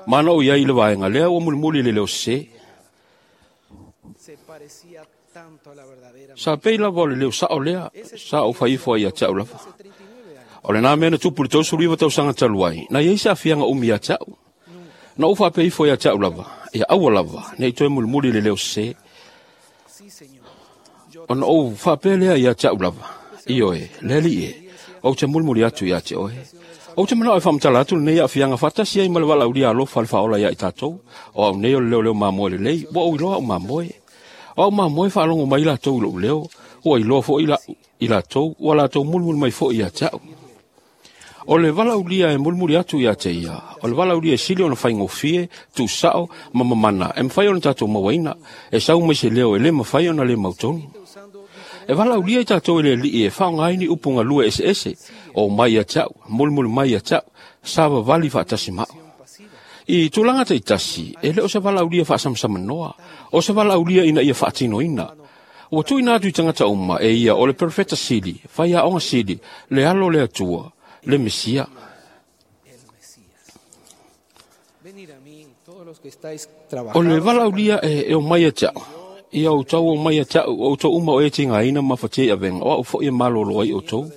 Ma na ou i ai i le vaega lea ua mulimuli i le leo sesē. Sa pei lava o le leo sao lea, sa ou fai ifo ai ia te au lava. O lenā mea na tupu i le 39 tausaga talu ai, na i ai se aafiaga umi ia te au. Na ou faapea ifo ia te au lava, ia aua lava, ne i toe mulimuli i le leo sesē. Ona ou faapea lea ia te au lava, ioe, le Alii e, ou te mulimuli atu ia te oe. Ou te manao e faamatala atu lenei aafiaga faatasi ai ma le valaaulia alofa a le Faaola ia i tatou. O au nei o le leoleo mamoe lelei, ua ou iloa au mamoe. O au mamoe faalogo mai latou i lou leo, ua iloa foi i latou, ua latou mulimuli mai foi ia te au. O le valaaulia e mulimuli atu ia te ia, o le valaaulia e sili ona faigofie, tuusao ma mamana e mafai ona tatou mauaina, e sau mai se leo e le mafai ona le mautonu. E valaaulia i tatou e le Alii e faaaoga ai ni upu galue eseese, o mai ia te au, mulimuli mai ia te au, savavali faatasi ma au. I tulaga taitasi, e le o se valaaulia faasamasamanoa, o se valaaulia ina ia faatinoina. Ua tuuina atu i tagata uma e ia o le perofeta sili, faiaoga sili, le alo o le Atua, le Mesia. O le valaaulia e omai ia te au, ia outou omai ia te au, o outou uma o e tigaina ma mafatia i avega, o au foi e malolo ai outou.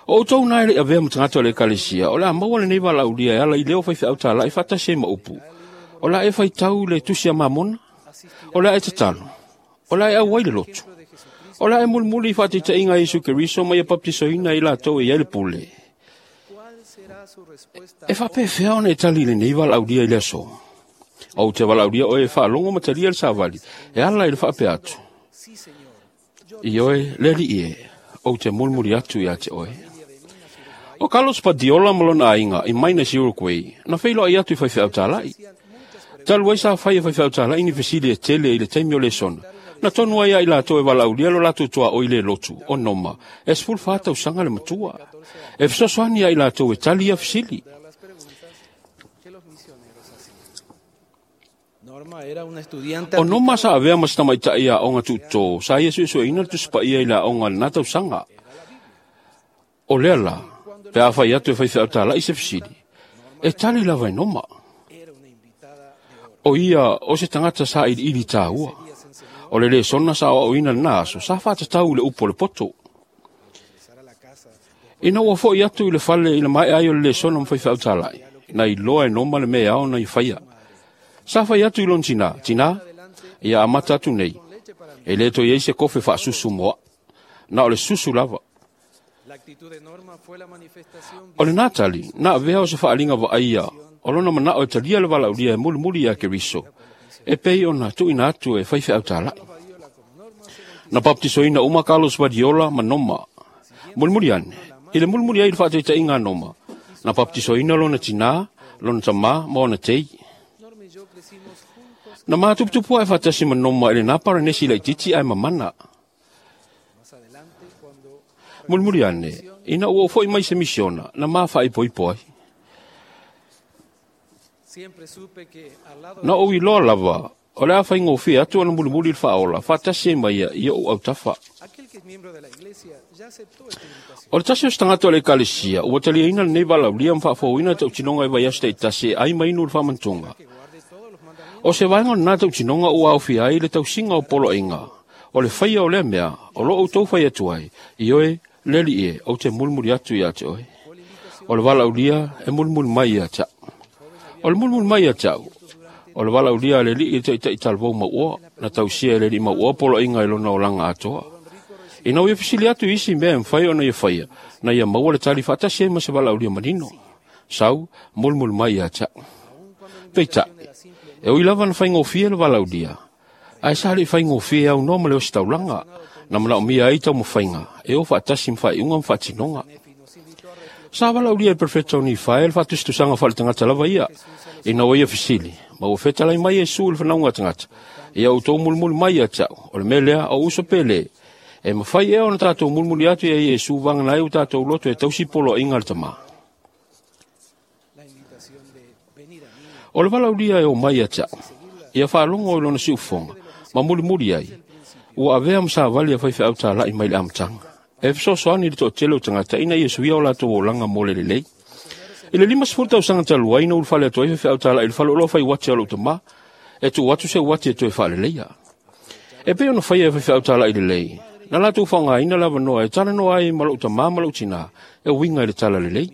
O outou na e le i avea ma tagata o le ekalesia, o le a maua lenei valaaulia e ala i leo faifeau talai faatasi ai ma upu. O le a e faitau le tusi a Mamona? O le a e tatalo? O le a e auai le lotu? O le a e mulimuli i faataitaiga a Iesu Keriso ma ia baptisoina i latou e i ai le pule? E faapefea ona e tali i lenei valaaulia i le aso? Ou te valaaulia oe e faalogo ma talia le savali e ala i le faapea atu. Ioe, le Alii e, ou te mulimuli atu ia te oe. O Carlos Badiola ma lona aiga i Minas, Uruguay, na feiloai atu i faifeau talai. Talu ai sa fai e faifeau talai ni fesili e tele i le taimi o lesona, na tonu ai ia i latou e valaaulia lo latou tuaoi le lotu, o Noma, e 14 tausaga le matua. E fesoasoani ia i latou e tali ia fesili. O Noma sa avea ma se tamaitai aoga tuutō, sa ia suesueina le Tusi Paia i le aoga i lena tausaga. O lea la, pe a fai atu e faifeau talai se fesili, e tali lava e Noma. O ia o se tagata sa iliili tāua. O le lesona sa aoaoina lena aso, sa faatatau i le upu o le poto. Ina ua foi atu i le fale i le maea ai o le lesona ma faifeau talai, na iloa e Noma le mea e ao ona ia faia. Sa fai atu i lona tinā, Tinā, ia amata atu nei, e le toe i ai se kofe faasusu mo au. Na o le susu lava. O lenā tali, na avea o se faaaliga vaaia o lona manao e talia le valaaulia e mulimuli ia Keriso, e pei ona tuuina atu e faifeau talai. Na baptisoina uma Carlos Badiola ma Noma. Mulimuli ane, i le mulimuli ai i le faataitaiga a Noma, na baptisoina lona tinā, lona tamā ma ona tei. Na matuputupu ae faatasi ma Noma i lenā paranesi laitiiti ae mamana. Mulimuli ane, ina ua ou foi mai se misiona, na ma faaipoipo ai. Na ou iloa lava, o le a faigofie atu ona mulimuli i le Faaola, faatasi ai ma ia i ou autafa. O le tasi o se tagata o le ekalesia, ua taliaina lenei valaaulia ma faafouina le tautinoga i vaiaso taitasi e ai ma inu le faamantuga. O se vaega o lenā tautinoga ua aofia ai le tausiga o poloaiga, o le faia o lea mea, o lo outou fai atu ai, ioe, le Alii e, ou te mulimuli atu ia te oe. O le valaaulia e mulimuli mai ia te au. O le mulimuli mai ia te au, o le valaaulia a le Alii i le taitai talavou mauoa, na tausia e le Alii mauoa poloaiga i lona olaga atoa. Ina ua ia fesili atu i isi mea e mafai ona ia faia, na ia maua le tali faatasi ai ma se valaaulia manino. Sau, mulimuli mai ia te au. Peitai, e ui lava na faigofie le valaaulia, ae sa le i faigofie e aunoa ma le ositaulaga, na manaomia ai taumafaiga e o faatasi ma faaiuga ma faatinoga. Sa valaulia e perfeta o Nifae le faatusitusaga faaletagata lava ia, ina ua ia fesili, ma ua fetalai mai Iesu i le fanauga a tagata, ia outou mulimuli mai ia te a'u, o le mea lea o uso pe lē, e mafai ea ona tatou mulimuli atu ia Iesu vagana ai ua tatou loto e tausi poloaiga a le Tamā. O le valaulia e o mai ia te a'u, ia faalogo i lona siufofoga, ma mulimuli ai, ua avea ma savali a faifeau tāla'i mai le amataga. E fesoasoani i le toatele o tagata ina ia suia o latou olaga mo le lelei. I le 50 tausaga talu ai na ulufale atu ai faifeau tāla'i i le faleoloa fai uati a lou tamā, e tuu atu se uati e toe faaleleia. E pei ona faia e faifeau tāla'i lelei, na latou faaaogaina le avanoa e talanoa ai ma lou tamā ma lou tinā e uiga i le talalelei.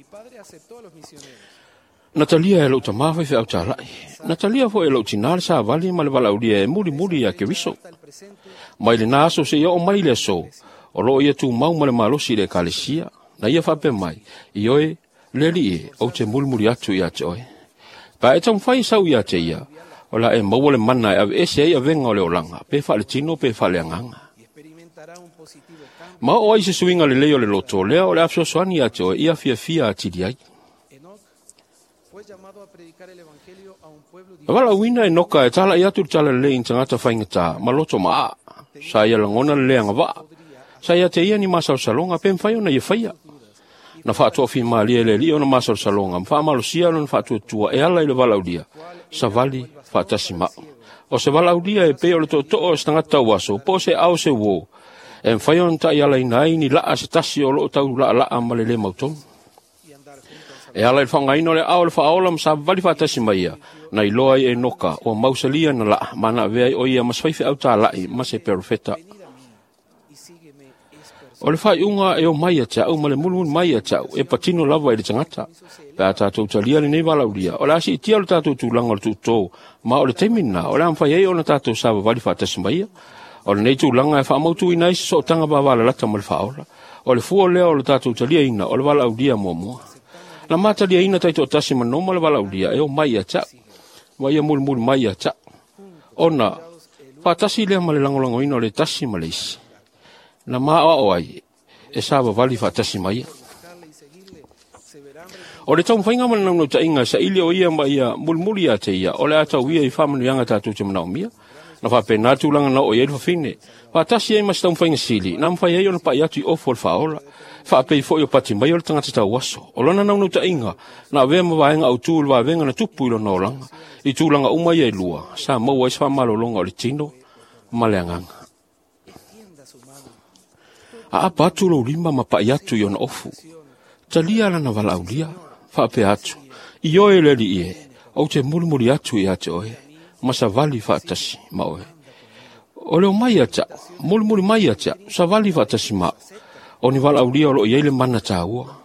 Na talia e lou tamā faifeau tāla'i. Na talia foi e lou tinā le savali ma le valaaulia e mulimuli ia Keriso. Mai lena aso seia oo mai le aso, o loo ia tumau ma le malosi i le ekalesia. Na ia faapea mai, ioe, le Alii e, ou te mulimuli atu ia te oe. Pe a e taumafai e sau ia te ia, o le a e maua le mana e aveese ai avega o le olaga, pe faaletino pe faaleagaga. Ma oo ai se suiga lelei o le loto, lea o le a fesoasoani ia te oe ia fiafia atili ai. Na valaauina e Noka e tala'i atu le talalelei i ni tagata faigata ma loto maaa. Sa ia lagona le le agavaa. Sa ia te ia ni masalosaloga pe mafai ona ia faia. Na faatoafimalie e le Alii ona masalosaloga ma faamalosia lona faatuatua e ala i le valaaulia, savali faatasi ma'u. O se valaaulia e pei o le tootoo o se tagata tauaso po o se ao se uō, e mafai ona taialaina ai ni laa se tasi o loo taulaalaa ma le lē mautonu. E ala i le faaaogaina o le aao o le faaola ma savavali faatasi mai ia, na iloa ai e Noka ua mausalia na laa ma na avea ai o ia ma se faifeau tāla'i ma se perofeta. O le faaiuga e o mai ia te a'u ma le mulimuli mai ia te a'u e patino lava i le tagata. Pe a tatou talia lenei valaaulia, o le a siitia lo tatou tulaga o le tuutō, ma o le taimi lena o le a mafai ai ona tatou savavali faatasi mai ia. O lenei tulaga e faamautuina ai se sootaga vavalalata ma le faaola. O le fua lea o le tatou taliaina o le valaaulia muamua. Na mataliaina taitoatasi ma noma le valaaulia e o mai ia te a'u, ma ia mulimuli mai ia te a'u. Ona faatasi lea ma le lagolagoina o le tasi ma le isi. Na maoao ai e savavali faatasi mai ia. O le taumafaiga ma le naunautaiga e saili o ia ma ia mulimuli ia te ia, o le a tau ia i faamanuiaga tatou te manaomia. Na faapena le tulaga na oo i ai le fafine. Faatasi ai ma se taumafaiga sili, na mafai ai ona pa'i atu i ofu o le faaola. Faapei foi o pati mai o le tagata tauaso. O lona naunautaiga, na avea ma vaega autū i le vavega na tupu i lona olaga. I tulaga uma ia e lua, sa maua ai se faamalologa o le tino ma le agaga. Aapa atu lou lima ma pa'i atu i ona ofu. Talia lana valaaulia, faapea atu, ioe le Alii e, ou te mulimuli atu ia te oe, ma savali faatasi ma oe. O le omai ia te a'u, mulimuli mai ia te a'u, savali faatasi ma a'u. O ni valaaulia o loo i ai le mana tāua.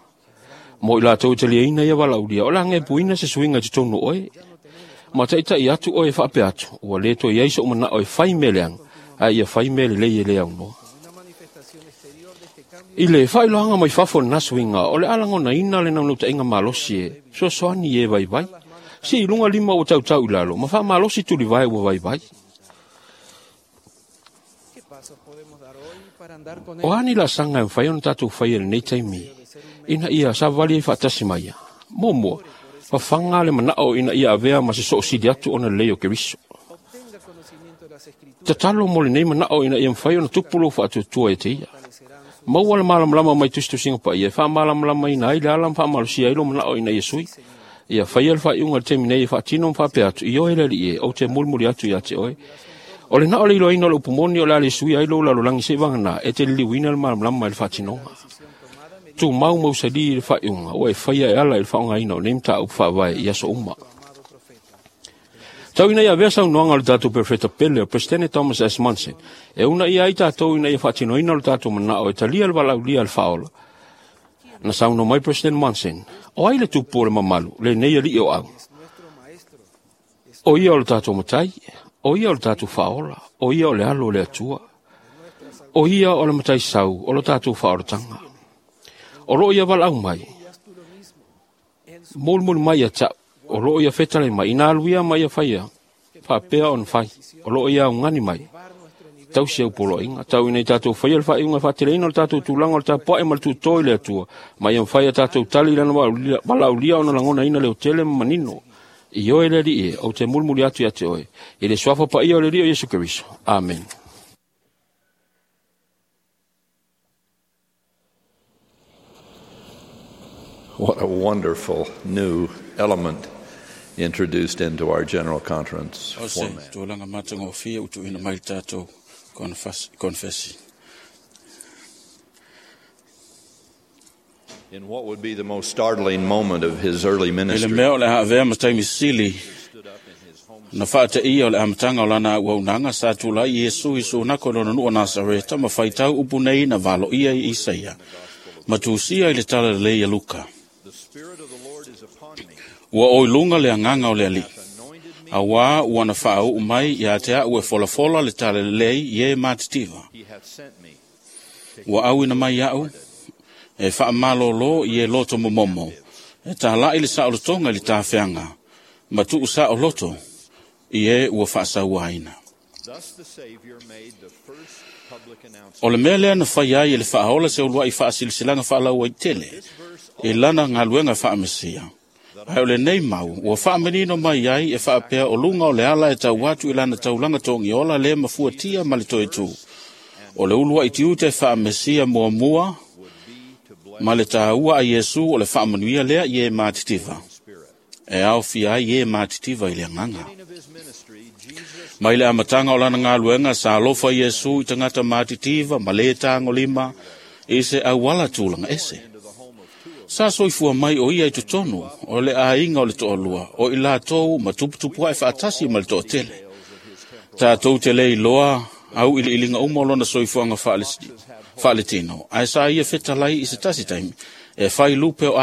Mo i latou e taliaina ia valaaulia, o le a gepuina se suiga i totonu o oe. Ma taita'i atu oe e faapea atu, ua lē toe i ai so'u mana'o e fai mea leaga, ae ia fai mea lelei e lē aunoa. I le faailoaga mai fafo o lena suiga, o le a lagonaina le naunautaiga malosi e fesoasoani i e vaivai. Sii i luga lima ua tautau i lalo, ma faamalosi tulivae ua vaivai. O a ni laasaga e mafai ona tatou faia i lenei taimi, ina ia savavali ai faatasi ma ia? Muamua, fafaga le mana'o ina ia avea ma se soosili atu ona lelei o Keriso. Tatalo mo lenei mana'o ina ia mafai ona tupu lou faatuatua ia te ia. Maua le malamalama mai tusitusiga paia e faamalamalamaina ai le ala ma faamalosia ai lou mana'o ina ia sui. Ia faia le faaiuga i le taimi nei e faatino ma faapea atu, ioe le Alii e, ou te mulimuli atu ia te oe. O le na o le iloaina o le upu moni o le a le suia ai lou lalolagi seivagana e te liliuina le malamalama i le faatinoga. Tumau mausali i le faaiuga ua e faia e ala i le faaaogaina o nei mataupu faavae i aso uma. Tau ina ia avea saunoaga o le tatou Perofeta pele o Peresetene Thomas S. Monson, e uunaia ai tatou ina ia faatinoina lo tatou mana'o e talia le valaaulia a le faaola. Na saunoa mai President Monson, o ai le tupu o le mamalu, lenei alii o au? O ia o le tatou matai, o ia o le tatou faaola, o ia o le alo o le Atua. O ia o le matai sau o lo tatou faaolataga. O loo ia valaau mai, mulimuli mai ia te a'u, o loo ia fetalai mai, ina alu ia ma ia faia, faapea ona fai, o loo ia augani mai. tausi au poloaiga. Tau ina i tatou faia le faaiuga e faateleina o le tatou tulaga o le tapua'i ma le tutō i le Atua, ma ia mafai a tatou tali i lana valaaulia ona lagonaina leotele ma manino. I oe le Alii e, ou te mulimuli atu ia te oe, i le suafa paia o le Alii o Iesu Keriso. Amene. What a wonderful new element introduced into our General Conference O se format. tulaga matagofie ua tuuina mai le tatou konfesi. In what would be the most startling moment of his early I le ministry, mea o le a avea ma taimi sili na faateia o le amataga o lana auaunaga sa tulai Iesu i sunako i lona nuu o Nasareta ma faitau upu nei na valoia i Isaia ma tusia i le tala lelei a Luka. Ua oi luga le agaga o le Alii, auā ua na faauu mai ia te a'u e folafola le tala lelei i e matitiva. Ua auina mai a'u e faamalōlō i e loto momomo, e tāla'i le saolotoga i le tafeaga, ma tuu saoloto i e ua faasauaina. thus the Savior made the first public announcement. O le mea lea na fai ai e le faaola se uluai faasilasilaga faalauaitele i lana galuega faamesia. Ae o lenei mau ua faamanino mai ai e faapea o luga o le ala e tau atu i lana taulaga togiola le mafuatia ma le toetū. O le uluai tiute faamesia muamua ma le tāua a Iesu o le faamanuia lea i e matitiva. E aofia ai e matitiva i le agaga. Mai le amataga o lana galuega sa alofa Iesu i tagata matitiva ma lē tagolima i se auala tulaga ese. Sa soifua mai o ia i totonu o le aiga o le toalua o i latou ma tuputupuaʻe faatasi ma le toatele. Tatou te le iloa au iliiliga uma o lona soifuaga faaletino, ae sa ia fetalai i se tasi taimi, e fai lupe o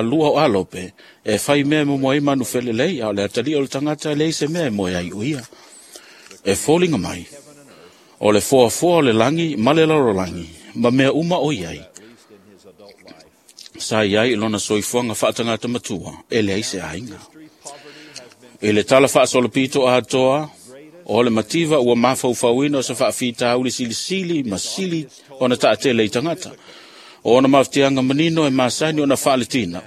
lua o alope, e fai mea e momoe ai manufelelei, a o le atalii o le tagata e leai se mea e moe ai o ia. E foliga mai, o le foafoa o le lagi ma le lalolagi, ma mea uma o i ai. Sa i ai i lona soifuaga faatagata matua, e leai se aiga. I le tala faasolopito atoa, o le mativa ua mafaufauina o se faafitauli silisili ma sili ona taatele i tagata. O ona mafutiaga manino e masani ona faaletina.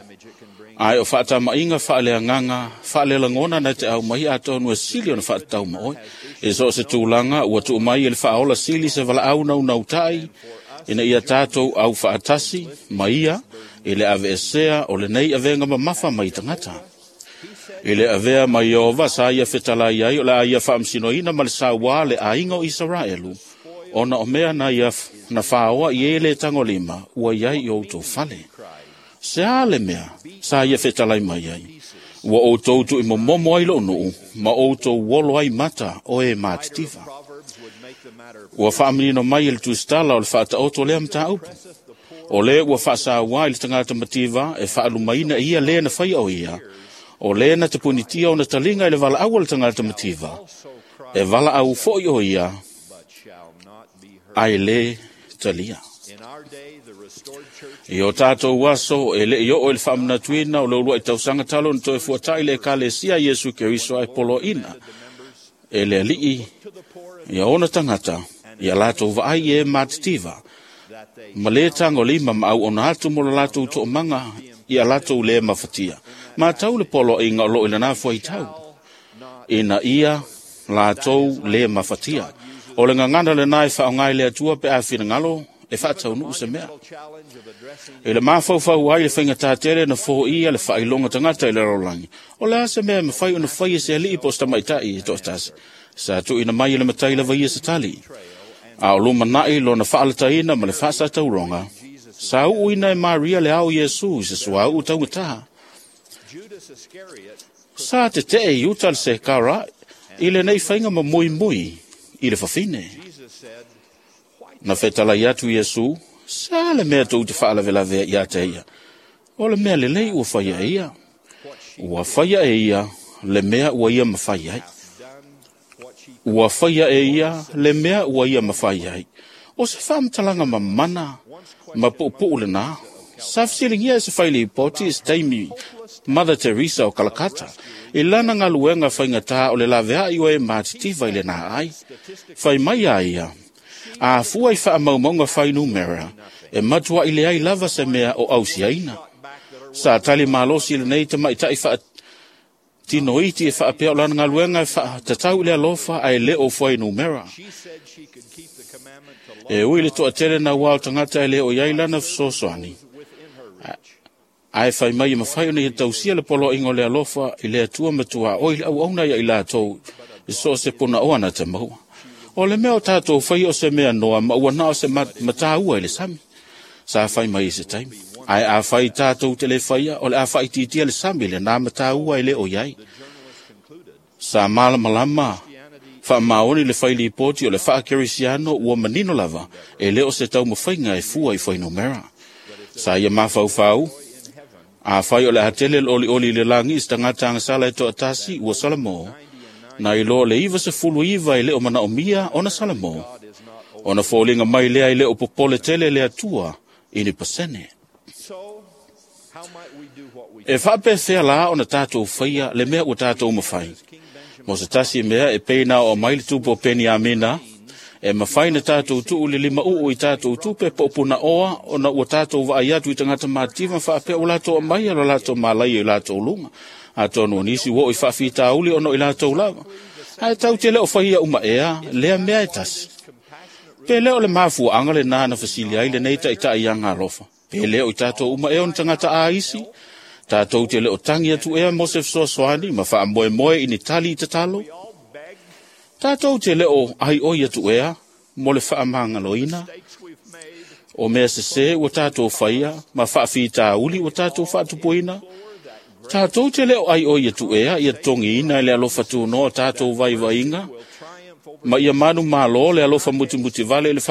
Ae o faatama'iga faaleagaga faalelagona na te aumai atonu e sili ona faatatau ma oe. E so o se tulaga ua tuu mai e le faaola sili se valaau naunauta'i ina ia tatou au faatasi ma ia i le aveesea o lenei avega mamafa mai tagata. I le avea mai Ieova sa ia fetalai ai o le a ia faamasinoina ma le sauā le aiga o Isaraelu, ona o mea na ia na fāoa i e lē tagolima ua i ai i o outou fale. Se a le mea sa ia fetalai mai ai? Ua outou tuuimomomo ai lo'u nuu ma outou olo ai mata o e matitiva. Ua faamanino mai e le tusitala o le faataoto lea mataupu. O lē ua faasauā i le tagata mativa e faalumaina e ia lē na faia o ia, o lē na tapunitia ona taliga i le valaau a le tagata mativa, e valaau fo'i o ia, ae lē talia. I o tatou aso e le'i oo i le faamanatuina o le uluai tausaga talo na toe fuata'i le Ekalesia Iesu Keriso ae poloaʻina e le Alii ia ona tagata ia latou vaai i e matitiva ma lē tagolima ma auauna atu mo le latou toomaga ia latou lē mafatia. Matau le poloaiga o loo i lena fuaitau, ina ia latou lē mafatia. O le gagana lenā e faaaoga i le Atua pe a finagalo e faataunuu se mea. I le mafaufau ai le faigatā tele na foia le faailoga tagata i le lalolagi. O le a se mea e mafai ona fai e se alii po o se tamaita'i e toatasi. Sa tuuina mai e le matai lava ia se tali. A o lumana'i lona faalataina ma le faasatauroga, sa uuina e Maria le ao Iesu i se suauu taugatā. Sa tetee i uta le sekara i lenei faiga ma muimui i le fafine. Na fetalai atu Iesu, sa le mea tou te faalavelavea ia te ia. O le mea lelei ua faia e ia. Ua faia e ia le mea ua ia mafai ai. Ua faia e ia le mea ua ia mafai ai. O se faamatalaga mamana ma puupuu lenā. Sa fesiligia e se failipoti i se taimi Mother Teresa o Kalakata i lana galuega faigatā o le laveai o e matitiva i lenā ai. Fai mai a ia, a fua i faamaumauga fainumera, e matuaʻi leai lava se mea o ausiaina. Sa tali malosi lenei tamaʻitaʻi faatinoiti e faapea o lana galuega e faatatau i le alofa ae lē o fuainumera. E ui le toatele nauā o tagata e lē o iai lana fesoasoani, ae fai mai e mafai ona ia tausia le poloaiga o le alofa i le Atua matuaʻoi le auauna ia i latou i so o se punaoa na te maua. O le mea o tatou faia o se mea noa ma ua na o se mataua i le sami. Sa fai mai i se taimi. Ae a fai tatou te le faia, o le a faaitiitia le sami lenā mataua e lē o iai. Sa malamalama faamaoni le failipoti o le faakerisiano ua manino lava e lē o se taumafaiga e fua i fuainumera. Sa ia mafaufau, afai o le a tele le olioli i le lagi i se tagata agasala e toatasi ua salamo, na iloa le 99 e lē o manaomia ona salamo, ona foliga mai lea e lē o popole tele le Atua i ni pasene. E faapefea la ona tatou faia le mea ua tatou mafai? Mo se tasi mea e pei na oo mai le tupu o Peniamina, e mafai na tatou tuu le limauu i tatou tupe po o punaoa ona ua tatou vaai atu i tagata matitiva faapea ua latou aumaia lo latou malaia i latou luga. Atonu o nisi ua oo i faafitauli ona o i latou lava. Ae tau te le o faia uma ea lea mea e tasi. Pe lē o le mafuaaga lenā na fesili ai lenei taʻitaʻi ia galofa. Pe lē o i tatou uma ea ona tagata aisi, tatou te le o tagi atu ea mo se fesoasoani ma faamoemoe i ni tali i tatalo. Tatou te le o aioi atu ea mo le faamagaloina o mea sesē ua tatou faia ma faafitauli ua tatou faatupuina. Tatou te le o aioi atu ea ia totogiina e le alofa tunoa o tatou vaivaiga ma ia manumalo le alofa mutimutivale i le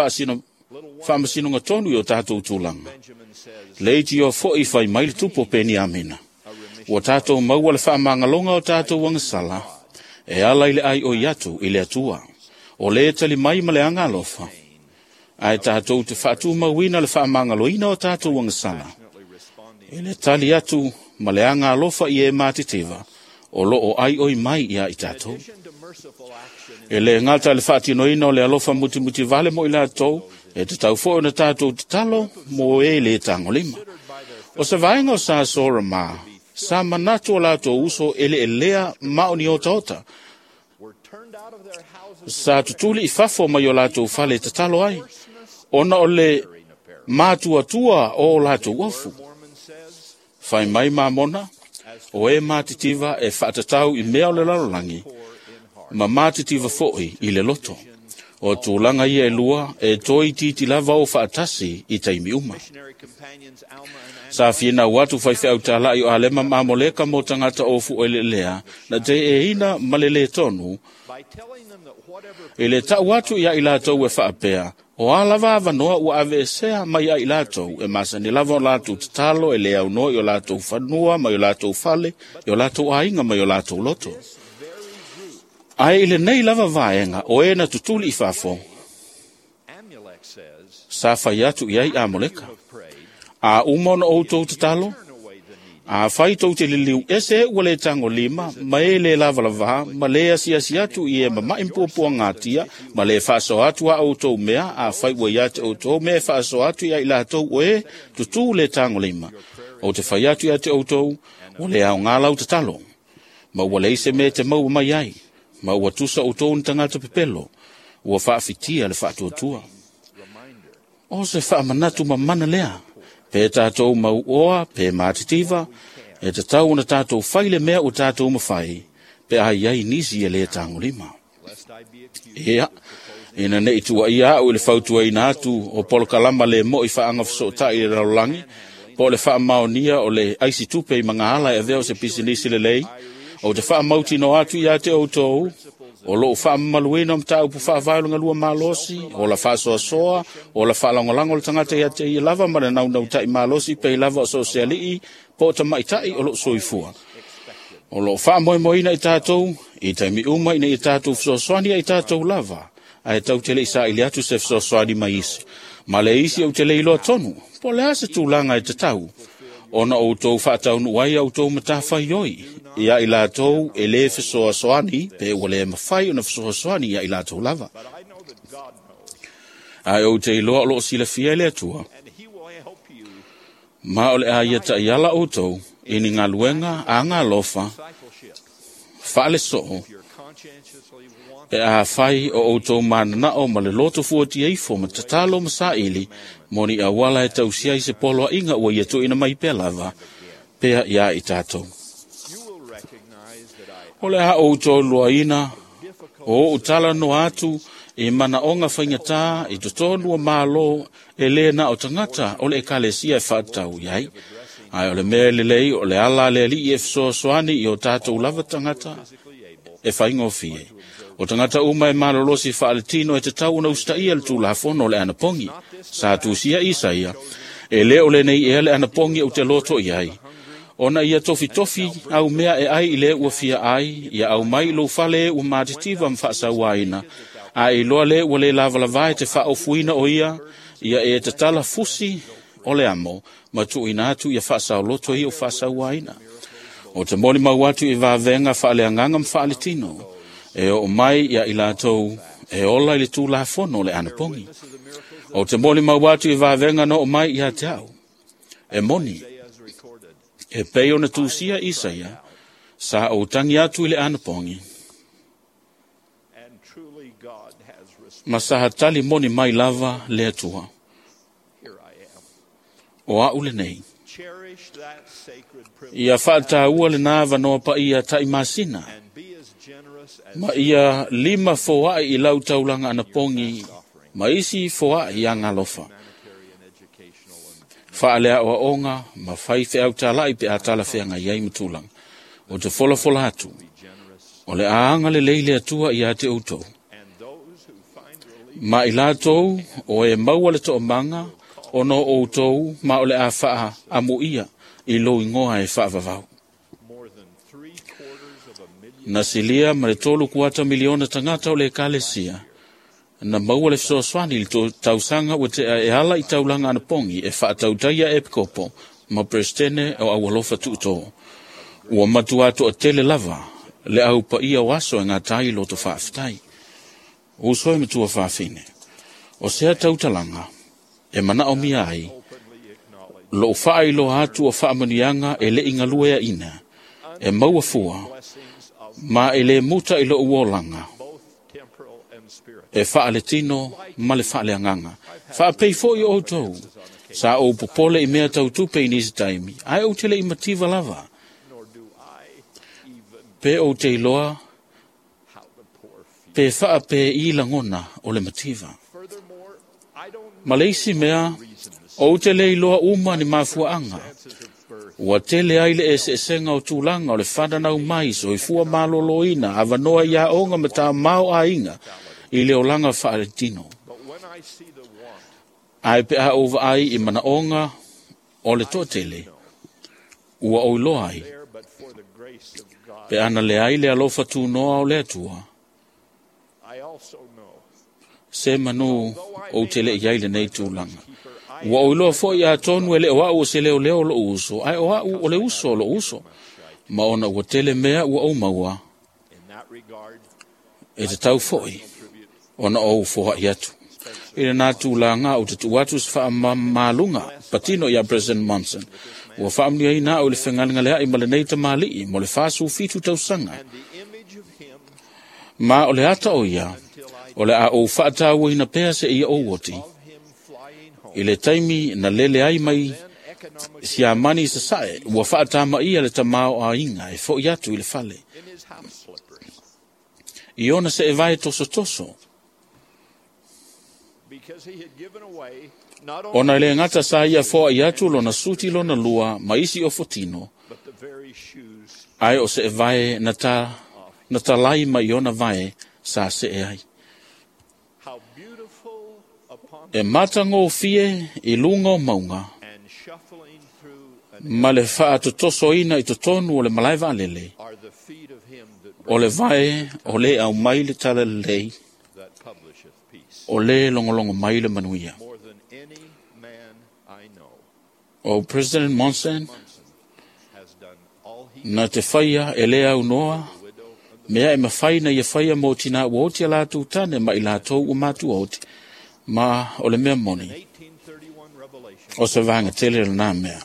faamasinoga tonu i o tatou tulaga. Leitio foʻi fai mai le tupu o Peniamina. Ua tatou maua le faamagaloga o tatou agasala e ala i le aioi atu i le Atua. O lē tali mai ma le aga alofa, ae tatou te faatumauina le faamagaloina o tatou agasala i le tali atu ma le aga alofa i e matitiva o loo aioi mai ia i tatou. E lē gata le faatinoina o le alofa mutimutivale mo i latou, e tatau foʻi ona tatou tatalo mo e lē tagolima. O se vaega o sa Sora mā, sa manatu o latou uso eleelea ma o ni otaota. Sa tutuli i fafo mai o latou fale e tatalo ai, ona o le matuatua o latou ofu. Fai mai Mamona, o e matitiva e faatatau i mea o le lalolagi, ma matitiva foʻi i le loto. O tulaga ia e lua e toeitiiti lava o faatasi i taimi uma. Sa finau atu faifeau talaʻi o Alema ma Amoleka mo tagata ofu eleelea na teeina ma le lē tonu i le taʻu atu ia i latou e faapea, o a lava avanoa ua aveesea mai ai latou e masani lava o latou tatalo e lē aunoa i o latou fanua mai o latou fale i o latou aiga mai o latou loto. Ae i lenei lava vaega o e na tutuli i fafo, sa fai atu i ai Amoleka. A uma ona outou tatalo, afai tou te liliu ese ua lē tagolima ma e lē lavalavā ma lē asiasi atu i e mamaʻi mapuapuagatia ma lē faasoa atu a outou mea, afai ua ia te outou mea e faasoa atu ia i latou o e tutū lē tagolima, ou te fai atu ia te outou, ua lē aogā lau tatalo, ma ua leai se mea e te maua mai ai, ma ua tusa outou ni tagata pepelo, ua faafitia le faatuatua. O se faamanatu mamana lea, pe tatou mauoa, pe matitiva, e tatau ona tatou fai le mea ua tatou mafai, pe a iai nisi e lē tagolima. Ia, ina neʻi tuuaia aʻu i le fautuaina atu o polokalama lē moʻi faagafesootai i le lalolagi, po o le faamaonia o le aisi tupe i magaala e avea o se pisinisi lelei, ou te faamautinoa atu ia te outou, o loo faamamaluina o mataupu faavae o le galua malosi, o la faasoasoa, o la faalagolago o le tagata ia te ia lava ma le naunautaʻi malosi pei lava o so o se alii po o tamaʻitaʻi o loo soifua. O loo faamoemoeina i tatou i taimi uma ina ia tatou fesoasoani ai tatou lava Ae tatou te le i saili atu se fesoasoani mai isi. Ma le isi ou te le iloa tonu, po o le a se tulaga e tatau, ona outou faataunuu ai a outou matafaioi ia i latou e lē fesoasoani pe ua lē mafai ona fesoasoani ia i latou lava. Ae ou te iloa o loo silafia e le Atua, ma o le a ia taʻiala outou i ni galuega agalofa faalesoo pe afai o outou mananao ma le loto fuatia ifo ma tatalo ma saili mo ni auala e tausia ai se poloaiga ua ia tuuina mai pea lava pea iā i tatou. O le a outou luaina o ou talanoa atu i manaoga faigata i totonu o Malo e lē na o tagata o le ekalesia e faatatau i ai. Ae o le mea e lelei o le ala a le Alii e fesoasoani i o tatou lava tagata e faigofie. O tagata uma e malolosi faaletino e tatau ona usitaia le tulafono o le anapogi. Sa tusia Isaia, e lē o lenei ea le anapogi ou te loto i ai, ona ia tofitofi au mea e ai i le ua fia ai, ia au mai i lou fale e ua matitiva ma faasauaina, a e iloa le ua lē lavalava e te faaofuina o ia, ia e tatala fusi o le amo, ma tuuina atu ia faasaoloto ia o faasauaina. O te molimau atu i vavega faaleagaga ma faaletino, e oo mai ia i latou e ola i le tulafono o le anapogi. O te molimau atu i vavega na oo mai ia te au, e moni, e pei ona tusia Isaia, sa ou tagi atu i le anapogi, ma sa tali moni mai lava le Atua. O a'u lenei. Ia faataua lenā avanoa paia taʻimasina, ma ia lima foaʻi i lau taulaga anapogi ma isi foaʻi ia galofa. Faaleaoaoga ma fai feautalaʻi pe a talafeagai ai ma tulaga. O te folafola atu, o le a agalelei le Atua iā te outou. Ma i latou o e maua le toamaga ona o outou ma o le a faaamuia i lou igoa e faavavau. Na silia ma le 3.25 miliona tagata o le ekalesia, na maua le fesoasoani i le tausaga ua tea e ala i taulaga anapogi e faatautaia epikopo ma peresetene o aualofa tuutō. Ua matuā toatele lava le aupaia o aso e gata ai loto faafetai. Uso e matua faafine, o sea tautalaga e manaomia ai, lou faailoa atu o faamanuiaga e leʻi galueaʻina, e maua fua, ma e lē muta i lou olaga, e faaletino ma le faaleagaga. Faapei foʻi o outou, sa ou popole i mea tautupe i nisi taimi, ae ou te leʻi mativa lava. Pe ou te iloa, pe faapeī lagona o le mativa. Ma le isi mea, ou te le iloa uma ni mafuaaga. Ua tele ai le eseesega o tulaga o le fananau mai soifua malōlōina avanoa i aoga ma tamao aiga i le olaga faaletino. Ae pe a ou vaai i manaoga o le toatele, ua ou iloa ai, pe ana leai le alofa tunoa o le Atua, se manu ou te leʻi ai lenei tulaga. Ua ou iloa foʻi atonu e le o a'u o se leoleo o loʻu uso, ae o a'u o le uso o loʻu uso, ma ona ua tele mea ua ou maua, e tatau foʻi ona ou foaʻi atu. I lenā tulaga ou te tuu atu se faamamaluga patino iā President Monson. Ua faamanuiaina a'u i le fegalegaleaʻi ma lenei tamalii mo le 47 tausaga. Ma o le ata o ia, o le a ou faatauaina pea seia ou oti. I le taimi na lele ai mai Siamani i sasae, ua faatamaia le tamaoaiga e foʻi atu i le fale. I ona seevae tosotoso, ona e lē gata sa ia foaʻi atu lona suti lona lua ma isi ofotino, ae o seevae na, ta, na talai mai ona vae sa see ai. E matagofie i luga o mauga, ma le faatotosoina i totonu o le malae vaalele, o le vae o lē aumai le talalelei. o lē logologo mai le manuia. O President Monson na te faia e lē aunoa mea e mafai na ia faia mo tinā ua oti a latou tane ma i latou ua matua oti, ma o le mea moni o se vaga tele lenā mea.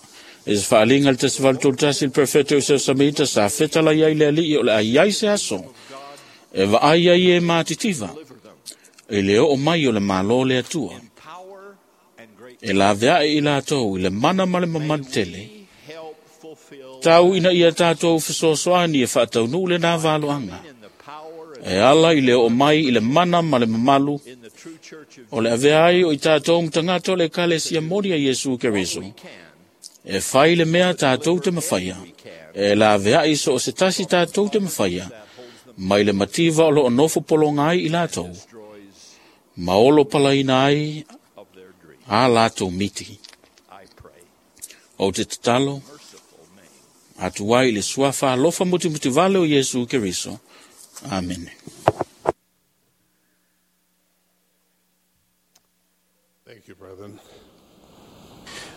I se faaliga le 1831 le perfeto o seu samita sa fetala iai le alii o le ai se aso e vaai ai e matitiva i le oo mai o le malo le Atua. E laveai i latou i le mana ma le mamalu tele, tau ina ia tātou fesoasoani e faataunuu lenā valoaga. E ala i le oo mai i le mana ma le mamalu o le avea ai o i tātou ma tagata o le Ekalesia moni a Iesu Keriso. E fai le mea tātou te mafaia, e laveai so o se tasi tātou te mafaia, mai le mativa o loo nofo pologa ai i latou, ma olo palaina ai a latou miti. Ou te tatalo atu ai i le suafa alofa mutimutivale o Iesu Keriso. Amene. Thank you, brethren.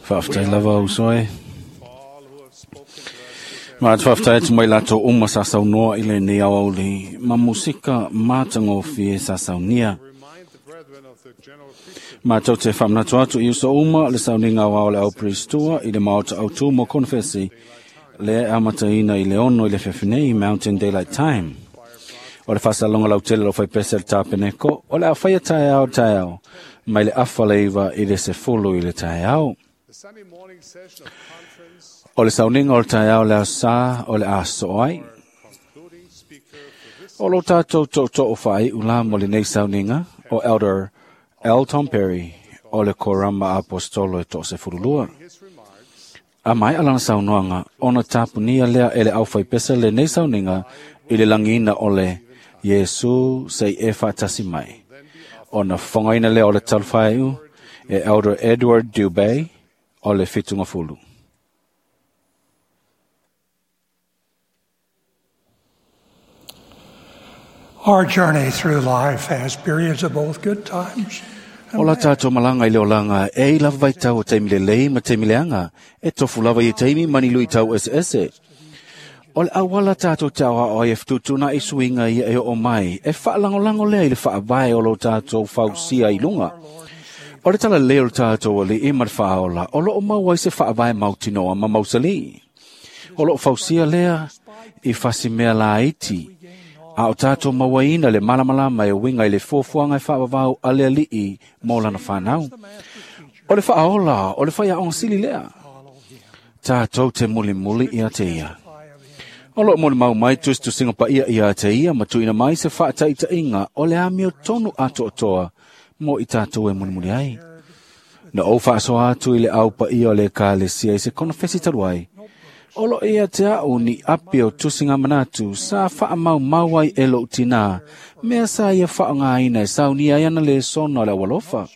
Faafetai lava uso e. Ma te faafetai atu mai latou uma sa saunoa i lenei aoauli ma musika matagofie sa saunia. Matou te faamanatu atu i uso uma le sauniga aoao le au Pristua i le maota autū mo konfesi lea e amataina i le 6 i le afiafi nei Mountain Daylight Time. O le faasaloga lautele o faipese le tapeneko o le a faia taeao taeao mai le 8:30 i le 10 i le taeao. O le sauniga o le taeao le aso Sā o le a soo ai. O lo tātou tootoo whaai ula mo lenei sauniga o Elder L. Tom Perry o le Korama Apostolo e to se furulua. A mai alana saunoaga ona tapunia lea e le au faipese lenei sauniga i le lagiina o le Iesu sei e faatasi mai. Ona fofogaina lea o le talufaiu e Elder Edward Dubay o le Fitugafulu. Our journey through life has periods of both good times O la tātou malanga i le olanga, e i lava vai tau o taimi le lei ma taimi leanga, e tofu lava i taimi mani lui tau ese ese. O le awala tātou te awa o e fututuna i suinga ia e o mai, e whaalangolango lea i le whaavae o lo tātou fausia i lunga. O le tala leo le tātou o le i ma le whaola, o lo o mau ai se whaavae mautinoa ma mausali. O lo o fausia lea i fasi mea la iti, a o tātou mauaina le malamalama e winga i le fuafuaga e faavavau a le alii mo lana fanau. O le faaola, o le faiaoga sili lea. Tātou te mulimuli ia te ia. O loo molimau mai tusitusiga paia ia te ia ma tuuina mai se faataitaiga o le amio tonu atoatoa mo i tātou e mulimuli ai. Na ou faasoa atu i le au paia o le Ekalesia i se konofesi talu ai. O lo ia te au ni api o tusinga manatu sa faamaumau ai e lou tinā, mea sa ia faaaogaina e saunia ai ana lesona o le aualofa.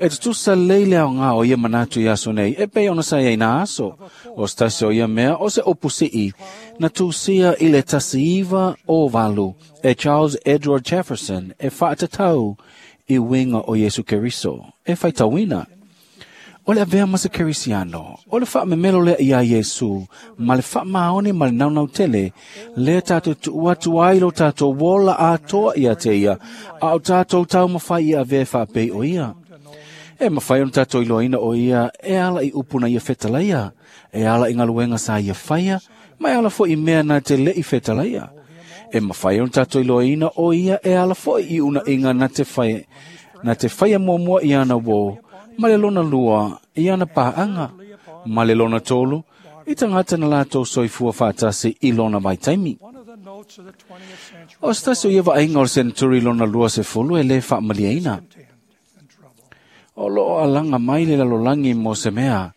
E tutusa lei le aoga o ia manatu i aso nei, e pei ona sa iai nā aso. O se tasi o ia mea o se upu sii na tusia i le 1908 e Charles Edward Jefferson e faatatau i uiga o Iesu Keriso e faitauina. O le avea ma se Kerisiano, o le faamemelo lea iā Iesu, ma le faamaoni ma le naunautele, lea tātou tuu atu ai lo tātou ola atoa ia te ia, a o tātou taumafai ia avea e faapei o ia. E mafai ona tātou iloaina o ia e ala i upu na ia fetalaia, e ala i galuega sa ia faia, ma e ala foi i mea na te le'i fetalaia. E mafai ona tātou iloaina o ia e ala foi i unaiga na te faia, na te faia muamua i ana uō, ma le lona lua i ana paaga, ma le lona tolu i tagata na latou soifua faatasi i lona vaitaimi. O se tasi o ia vaaiga o le seneturi lona 20 e lē faamaliaina. O loo alaga mai le lalolagi mo se mea,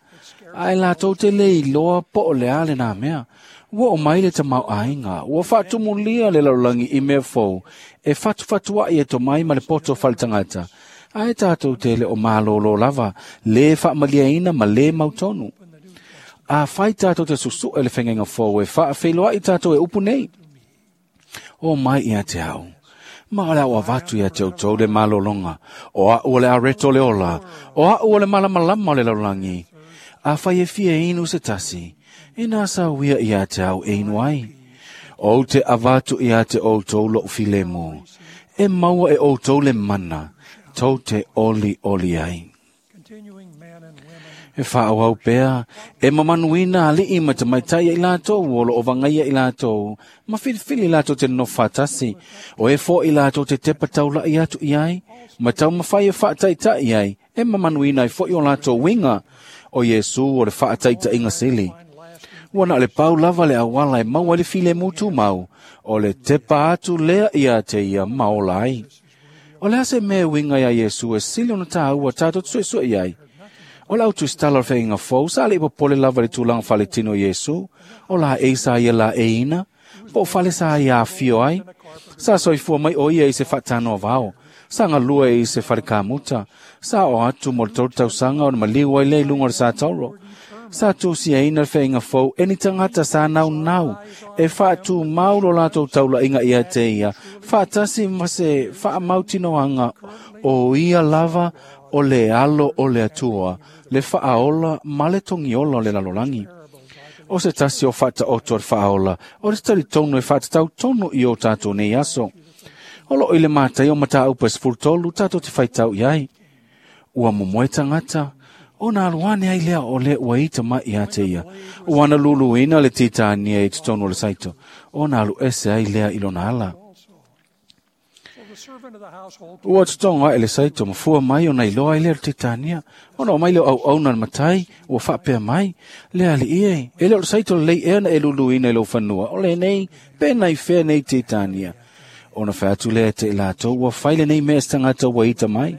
ae latou te lē iloa po o le a lenā mea. Ua oo mai le tamaoaiga, ua faatumulia le lalolagi i mea fou e fatufatuaʻi e tomai ma le poto faletagata, ae tātou te le o malōlō lava, lē faamaliaina ma lē mautonu. A fai tātou te susuʻe le fegaiga fou e faafeiloaʻi tātou e upu nei. O mai ia te au. Ma o le au avatu ia te outou le malologa, o a'u o le areto le ola, o a'u o le malamalama o le lalolagi. Afai e fia inu se tasi, ina sauia ia te au e inu ai. Ou te avatu ia te outou lo'u filemu, e maua e outou le mana, tou te oli oli ai. E whaawau pea, e mamanuina ali'i ma te maitai i lātou, o lo o vangaia i lātou, ma whiliwhili lātou te no whātasi, o e fo i lātou te tepa taulai atu i ai, ma tau mawhai e whaataitai ai, e mamanuina i fo i o lātou winga, o Iesu o le whaataitaiga sili. Ua na le pau lava le awala e maua le file mutu mau, o le tepa atu lea ia te ia maola ai. O le ase mea winga ia Iesu e sili ona tāua tātou tsuesue i ai. O lau tuistala o whainga fou, sa le ipo pole lava le tūlanga whaletino Iesu, o la e sa ia la e ina, po o whale sa ia awhio ai, sa soifua mai o ia i se whatano vao, sa ngā lua i se wharekamuta, sa o atu mo le tolu tausanga o na maliu ai le lunga o le sa tauro. Sa tūsi e ina le whainga fou, e ni tangata sa nau nau, e whaatu maulo lātou taula inga ia te ia, whaatasi ma se whaamautinoanga o ia lava o le alo o le atua, le whaaola ma le tongiola o le lalolangi. O se tasi o whaata oto le whaaola, o le tari tonu e whaatatau tonu i o tātou nei aso. O lo i le mātai o mata upa 13 tātou te whaitau iai. Ua momoe tangata, o nā aluane ai lea o le ua ita mai ia te ia. O ana luluina le titania i te tonu o le saito, o nā alu ese ai lea i lona ala. Ua tutonga e le saito mafua mai o nei loa i lea o le titania. Ona o mai leo au au na matai, ua whaapea mai, lea ali ie. E leo le saito le lei ea na e luluina i lau whanua. O le nei, pe nei whea nei titania. Ona whaatu lea te lātou, ua whaile nei mea tangata ua ita mai.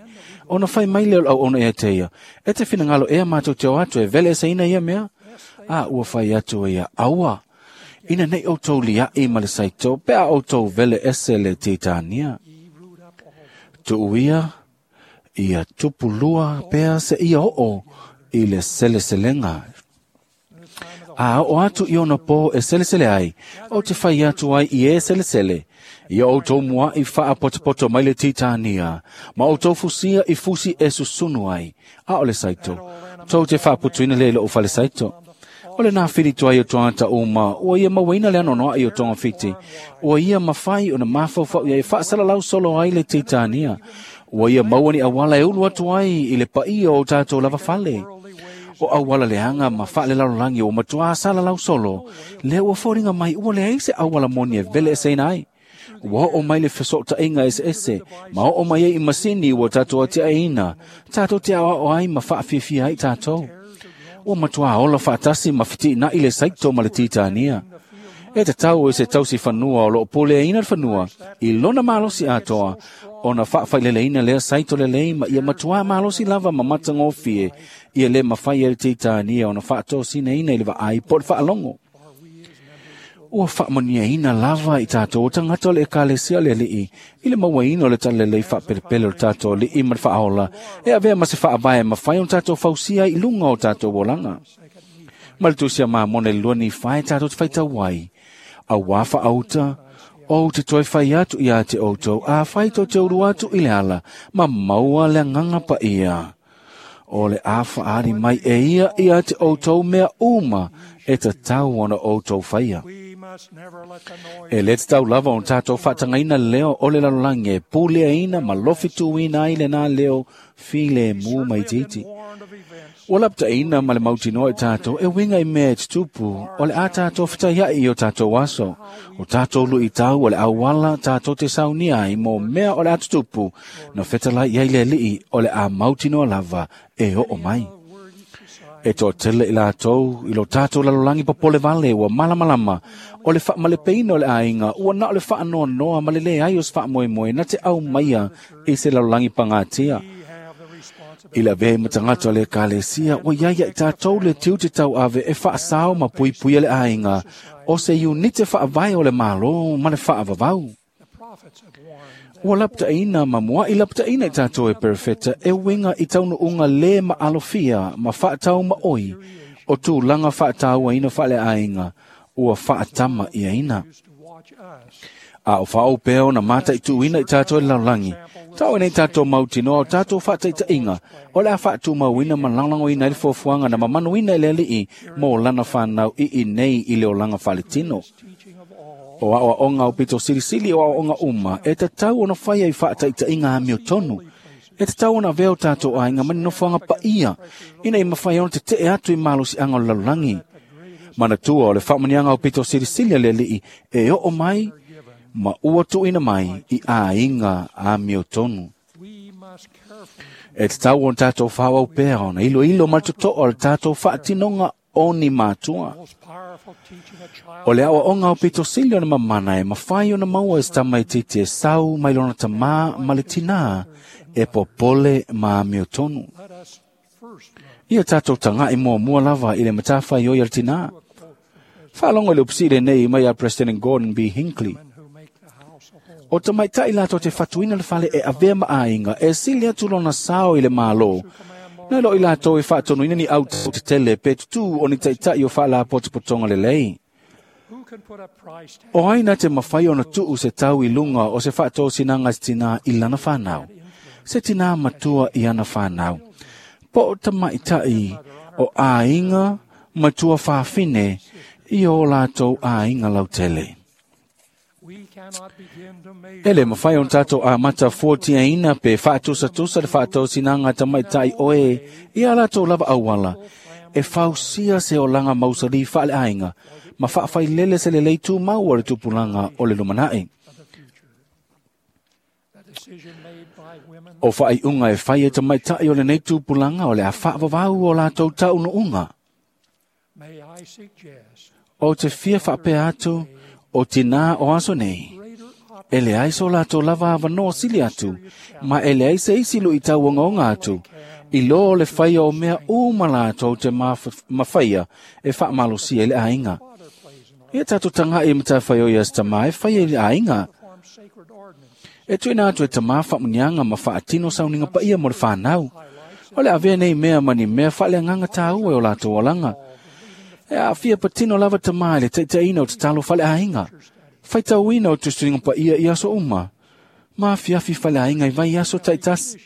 Ona whai mai leo au ona ea te ia. E te whinangalo ea mātou te o atu e vele ese ina ia mea. A ua whai atu e ia aua. Ina nei o tau lia i ma le saito, pea o tau vele ese le titania. Tuuia, ia tupulua pea se ia oo i le seleselenga. A o atu i ona pō e selesele ai, o te whai atu ai i e selesele. Ia o tō mua i wha potopoto mai le titania, ma o tō fusia i fusi e susunu ai, a o le saito. Tō te whaaputuina le o whale saito. O le nā whiri tua i o tōngata uma, ua ia mawina le anonoa i o tōnga whiti. Ua ia mawhai o na mawhauwhau ia e whaasalalau solo ai le titania. Ua ia mauani awala e ulu atu ai i le paia o tātou lava fale. O awala le anga ma whaale lalolangi o matua salalau solo, le ua fōringa mai ua le aise awala moni e vele e seina ai. Ua o mai le whasota inga ese ese, ma o mai e i masini ua tātou atia eina, tātou te awa o ai ma whaafiafia ai tātou. Ua matua ola whaatasi ma whiti na i le saito ma le titania. E te tau e se tausi whanua o loo pole e ina le whanua, i lona malosi atoa, o na whaawhailele ina lea saito le lei ma ia matua malosi lava ma matangofie, ia le mawhai e le titania o na whaatosina ina i le vaai po le whaalongo. Ua whaamania ina lava i tātou o tangata le ekalesia le alii, i le mawaina o le talelei whaapelepele o tātou li'i ma le whaaola, e avea ma se whaawae mawhai o tātou fausia i lunga o tātou olanga. Ma le tusia mamone lua ni whai tātou te whaitau ai. A wā whaauta, o te toi whai atu i a te outou, a whai tō te uru atu i le ala, ma maua le nganga pa ia. O le a whaari mai e ia i a te outou mea uma, e te tau ona outou whaia. E le te tau lava o tātou whaatangaina leo o le lalolangi e pulea ina ma lofi tuina ai le nā leo file mū mai titi. O lapta ina ma le mautinoa i tātou e winga i mea e tutupu o le a tātou whitaiai i o tātou aso. O tātou lui tau o le awala tātou te saunia ai mō mea o le a tutupu no whetalai i ai le lii o le a mautinoa lava e o o mai. E tō tele i lātou, i lo tātou lalolangi popole vale ua malamalama, o le whaamalepeina o le ainga, ua na o le whaanoa noa ma le le ai o se whaamoemoe na te au maia i se lalolangi pangatia. I la vei matangata le kalesia, ua iaia i tātou le tiu te tau ave e whaasao ma puipuia le ainga, o se unite whaavae o le malo ma le whaavavau. Ua lapta ina ma mua i lapta ina i tātou e perfeta e winga i taunu unga le ma alofia ma whaatau ma oi o tūlanga whaatau ina whaale ainga ua whaatama ia ina. A o whaau pēo na mata i tuina i tātou i lalagi. Tau nei tātou mautinoa o tātou whaataitainga, o le a whaatumauina ma langlangoina i le fuafuaga na mamanuina i le alii mo lana whanau i i nei i le olanga faletino. O aoaoga o pito silisili o aoaoga uma, e tatau ona faia i faataitaiga amio tonu. E tatau ona avea o tātou aiga ma ni nofoaga paia, ina i mafai ona tetee atu i malosiaga o le lalolagi. Manatua o le faamanuiaga o pito silisili a le alii e oo mai ma ua tuuina mai i aiga amio tonu. E tatau ona tātou whāwau pea ona iloilo ma le totoa o le tātou faatinoga o ni mātua. O le aoaoga o pito sili ona mamana e mafai ona maua e se tamaitiiti e sau mai lona tamā ma le tinā e popole ma amio tonu. Ia tātou taga'i muamua lava i le matafaioi a le tinā. Faalogo i le upusii lenei mai a President Gordon B. Hinckley. O tamaitai latou te fatuina le fale e avea ma aiga e sili atu lona sao i le Malo, nai lo i latou e faatonuina ni au tetele pe tutū o ni ta'ita'i o faalapotopotoga lelei. O ai na te mafai ona tuu se tau i luga o se faatosinaga i se tinā i lana whanau, se tinā matua i ana whanau, po o tamaitai o aiga matua fafine i o latou aiga lautele. E le mafai ona tātou amata fuatiaina pe faatusatusa le faatosinaga tamaitai oe i a latou lava auala e fausia se olaga mausali faaleaiga ma faafailele se lelei tumau o le tupulaga o le lumanai. O faaiuga e fai e tamaitai o lenei tupulaga o le a faavavau o latou taunuuga. O te fia faapea atu o tinā o aso nei, e leai so latou lava avanoa sili atu, ma e leai se isi luitau ogaoga atu, i lō o le faia o mea uma latou te mafaia e faamalosia i le aiga. Ia tātou taga'i i matafaioi a se tamā e faia i le aiga. E tuuina atu e tamā faamuniaga ma faatino sauniga paia mo le whanau. O le avea nei mea ma ni mea faaleagaga tāua e o latou olaga. E aafia patino lava tamā i le taitaiina o tatalo faleaiga. Faitauina o tusituliga paia i aso uma. Ma afiafi faleaiga i vai aso taitasi.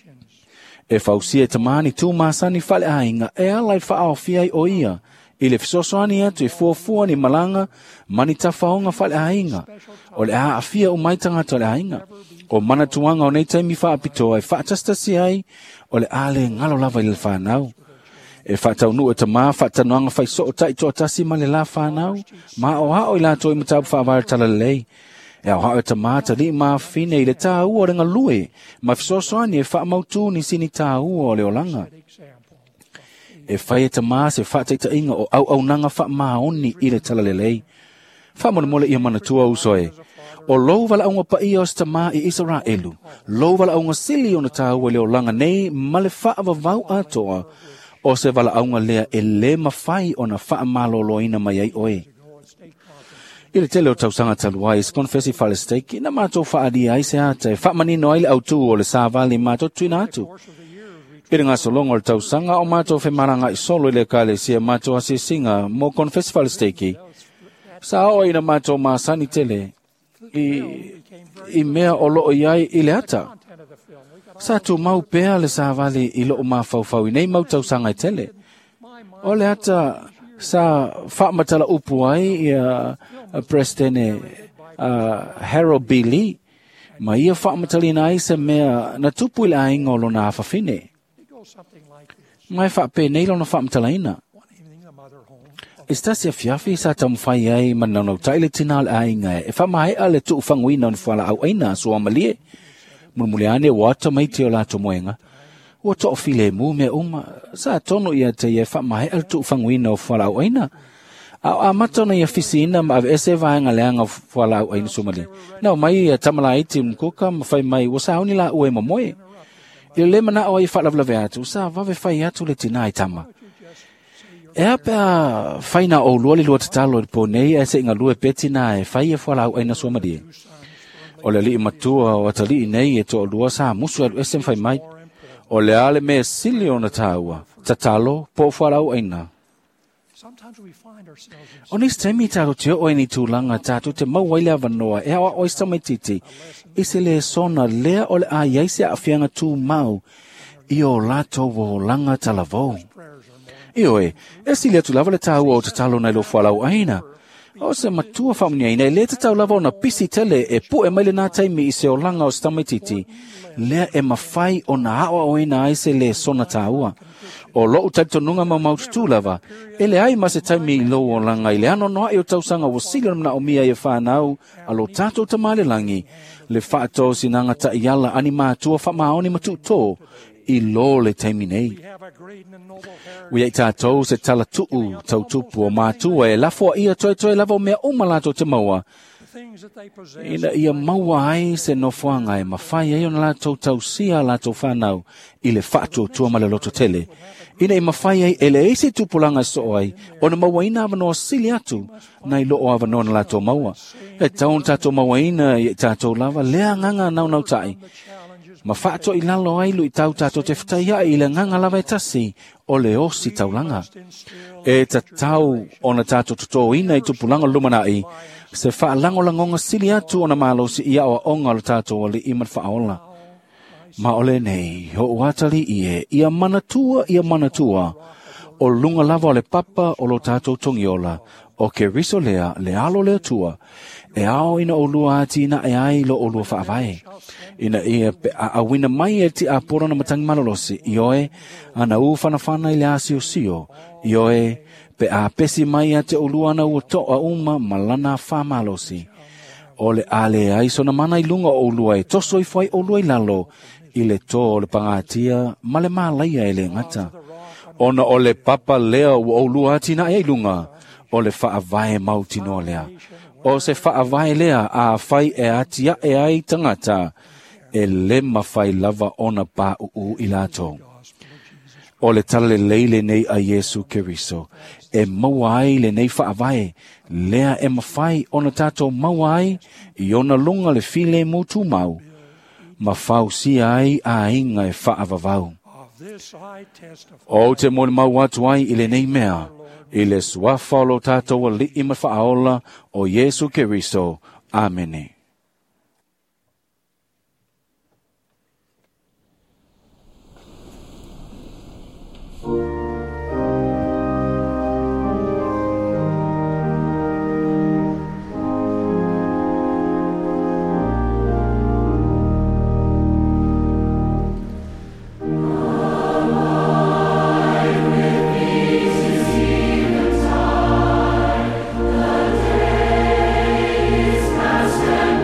E fausia e tamā ni tū masani faleaiga e ala i faaofia ai o ia i le fesoasoani atu e fuafua ni malaga ma ni tafaoga faleaiga. O le a aafia umai tagata o le aiga. O manatuaga o nei taimi faapitoa e faatasitasi ai o le a le galo lava i le whanau. E faataunuu e tamā faatanoaga faisoo taitoatasi ma le la whanau, ma o hao i latou i mataupu faavae talalelei. E aoao e tamā talii ma afine i le tāua o le galue, ma fesoasoani e faamautū ni sini tāua o le olaga. E fai e tamā se faataitaiga o auaunaga faamaoni i le talalelei. Faamolemole ia manatua uso e. O lou valaauga paia o se tamā i Isaraelu, lou valaauga sili ona tāua i le olaga nei ma le faavavau atoa, o se valaauga lea e lē mafai ona faamalōlōina mai ai oe. I le tele o tausaga talu ai, se konfesi falesteiki, na mātou faalia ai se ata e faamanino ai le autū o le savali mātou tuina atu. I le gasologa o le tausaga o mātou femalaga'i solo i le ekalesia mātou asiasiga mo konfesi falesteiki, sa oo ina mātou masani tele i mea o loo iai i le ata. Sa tumau pea le savali i loo mafaufau i nei mau tausaga e tele. O le ata sa faamatala upu ai ia Presidente Harold B. Lee, ma ia faamatalaina ai se mea na tupu i le aiga o lona afafine. Ma e faapenei lona faamatalaina. I se tasi afiafi sa taumafai ai ma naunautai le tinā o le aiga e faamaea le tuufaguina o ni fualaau aina a suamalie. Mulimuli ane ua ata mai te o latou moega. Ua toafilemu mea uma, sa tonu ia te ia e faamaea le tuufaguina o fualaau aina. A o amata ona ia fisiina ma aveese vaega leaga o fualaau aina suamalie. Na omai ia tamalaiti mkuka ma fai mai ua sauni laua e momoe. I le lē manao ai e faalavelave atu, sa vave fai atu le tinā i tama. E a pea fai na oulua le lua tatalo i le pō nei ae seʻi galue pea tinā e fai e fualaau aina suamalie. O le alii matua o atalii nei e toalua sa musu e alu ese ma fai mai. O le a le mea sili ona tāua, tatalo po o fualaau aina. O nisi taimi tātou te o ni tūlanga tātou te maua i le avanoa e awa oi samaititi i se le sona lea o le a iai se afianga tū mau i o lātou o langa talavou. Ioe, e sili atu lava le tāua o te talo nei lo whalau aina. O se matua whamunia ina e le te tau lava ona pisi tele e pu e maile nā taimi i se olanga o samaititi, lea e mawhai o na awa o ina ai se le sona tāua. O lou talitonunga mau maututu lava, e le ai ma se taimi i lou olanga i le ano noa i o tausanga ua sili ona o mia i e whanau a lo tātou tamale langi, le whaatō sinanga ta iala ani mātua whamaoni matuto i lo le taimi nei. Ua i tātou se tala tuu tautupu o mātua e lafoa ia toe toe lava o mea uma lātou te maua. Ina ia maua ai se nofoanga e mawhai ai ona lātou tausia lātou whanau i le whaatuatua ma le loto tele. Ina i mawhai ai e le eisi tupulanga so ai ona maua ina awanoa sili atu nai loo awanoa na lātou maua. E taun tātou maua ina i tātou lava lea nganga nau nau tai. Ma whaato i lalo ai lui tau tātou te whitai ai i le nganga lava e tasi o le osi taulanga. E ta tau ona tātou tutoina i tupulanga lumanai se whaalangolangonga sili atu ona malosi i awa onga lo tātou o le iman whaola. Ma ole nei, ho uatali ie, ia manatua, o lunga lava o le papa o lo tātou tongiola, o ke riso lea, le alo lea tua, e ao ina o lua ati ina e ai lo o lua whaavae. Ina ia pe a awina mai e ti apora na matangi malolosi, i oe, ana u whanawhana i le asio sio, i oe, pe a pesi mai a te o lua ana ua toa uma malana whamalosi. O le ale ai sona mana i lunga o lua e toso i whai o lua i lalo, i le tō o le pangatia ma le mālaia e le ngata. Ona o le papa lea ua o lua ati na e lunga, o le whaavae mautinoa lea. O se whaavae lea a whai e atia e ai tangata, e le mawhai lava ona pā uu i lātou. O le tala leile nei a Yesu Keriso, e maua ai le nei whaavae, lea e mawhai ona tātou maua ai, i ona lunga le file mūtu mau, ma fausia ai a inga e whaavavau. O te moni mau atu ai i le nei mea, i le suafa o lo tātou ali'i ma whaaola o Yesu Keriso. Amene. Time, the day is past and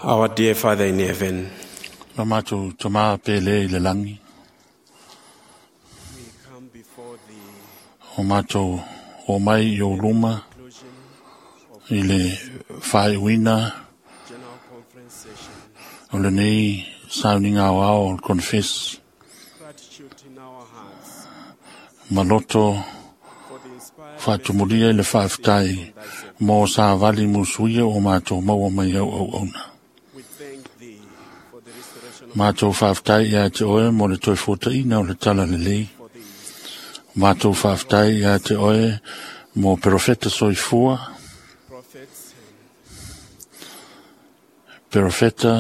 Our dear Father in heaven, Lo matou tamā pele i le lagi. O matou o mai i o luma i le faaiuina o lenei sauniga aoao o le konefesi ma loto faatumulia i le faafetai mo savali musuia o matou maua mai au auauna. Matou faafetai ia te oe mo le toe fuataina o le tala lelei. Matou faafetai ia te oe mo perofeta soifua, perofeta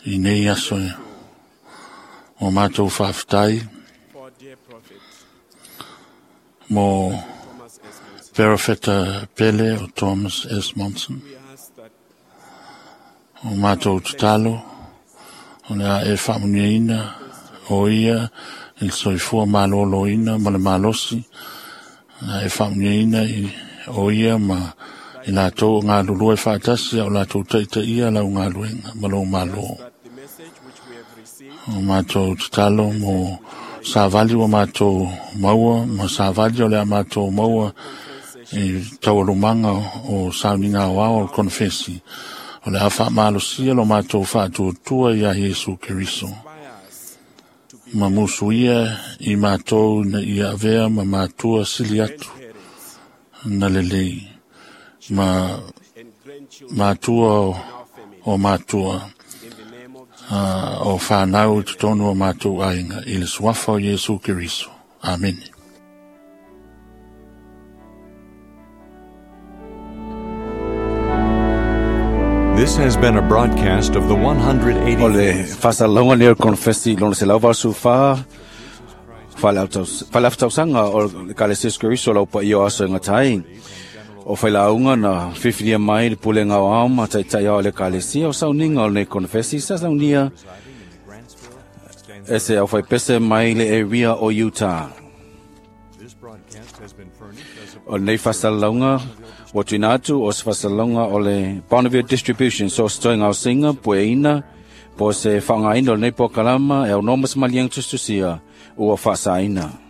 i nei aso e. O matou faafetai mo perofeta pele o Thomas S. Monson. O matou tatalo, o le a e faamuniaina o ia i le soifua malōlōina ma le malosi, a e faamuniaina i o ia ma i latou o galulue faatasi a o latou taitaia lau galuega ma lou malo. O matou tatalo mo savali ua matou maua ma savali o le a matou maua i taualumaga o sauniga aoao o le konefesi, o le a faamalosia lo matou faatuatua iā Iesu Keriso. Ma musuia i matou ina ia avea ma matua sili atu na lelei ma matua o matua o whanau i totonu o mātou aiga i le suafa o Iesu Keriso. Amene. This has been a broadcast of the 180. O le faasalalauga lenei o le konefesi lona 184 faaleafatausaga o le Ekalesia Iesu Keriso o le Aupaia o Aso e Gata ai. O failauga na filifilia mai le pulega aoao ma taitai ao o le Ekalesia o sauniga o lenei konefesi sa saunia e se aufaipese mai le area o Utah. O lenei faasalalauga ua tuuina atu o se faasalalauga o le Bonneville Distribution Source Toega o Singa pueina po o se faaaogaina o lenei polokalama e aunoa ma se maliega tusitusia ua faasaina.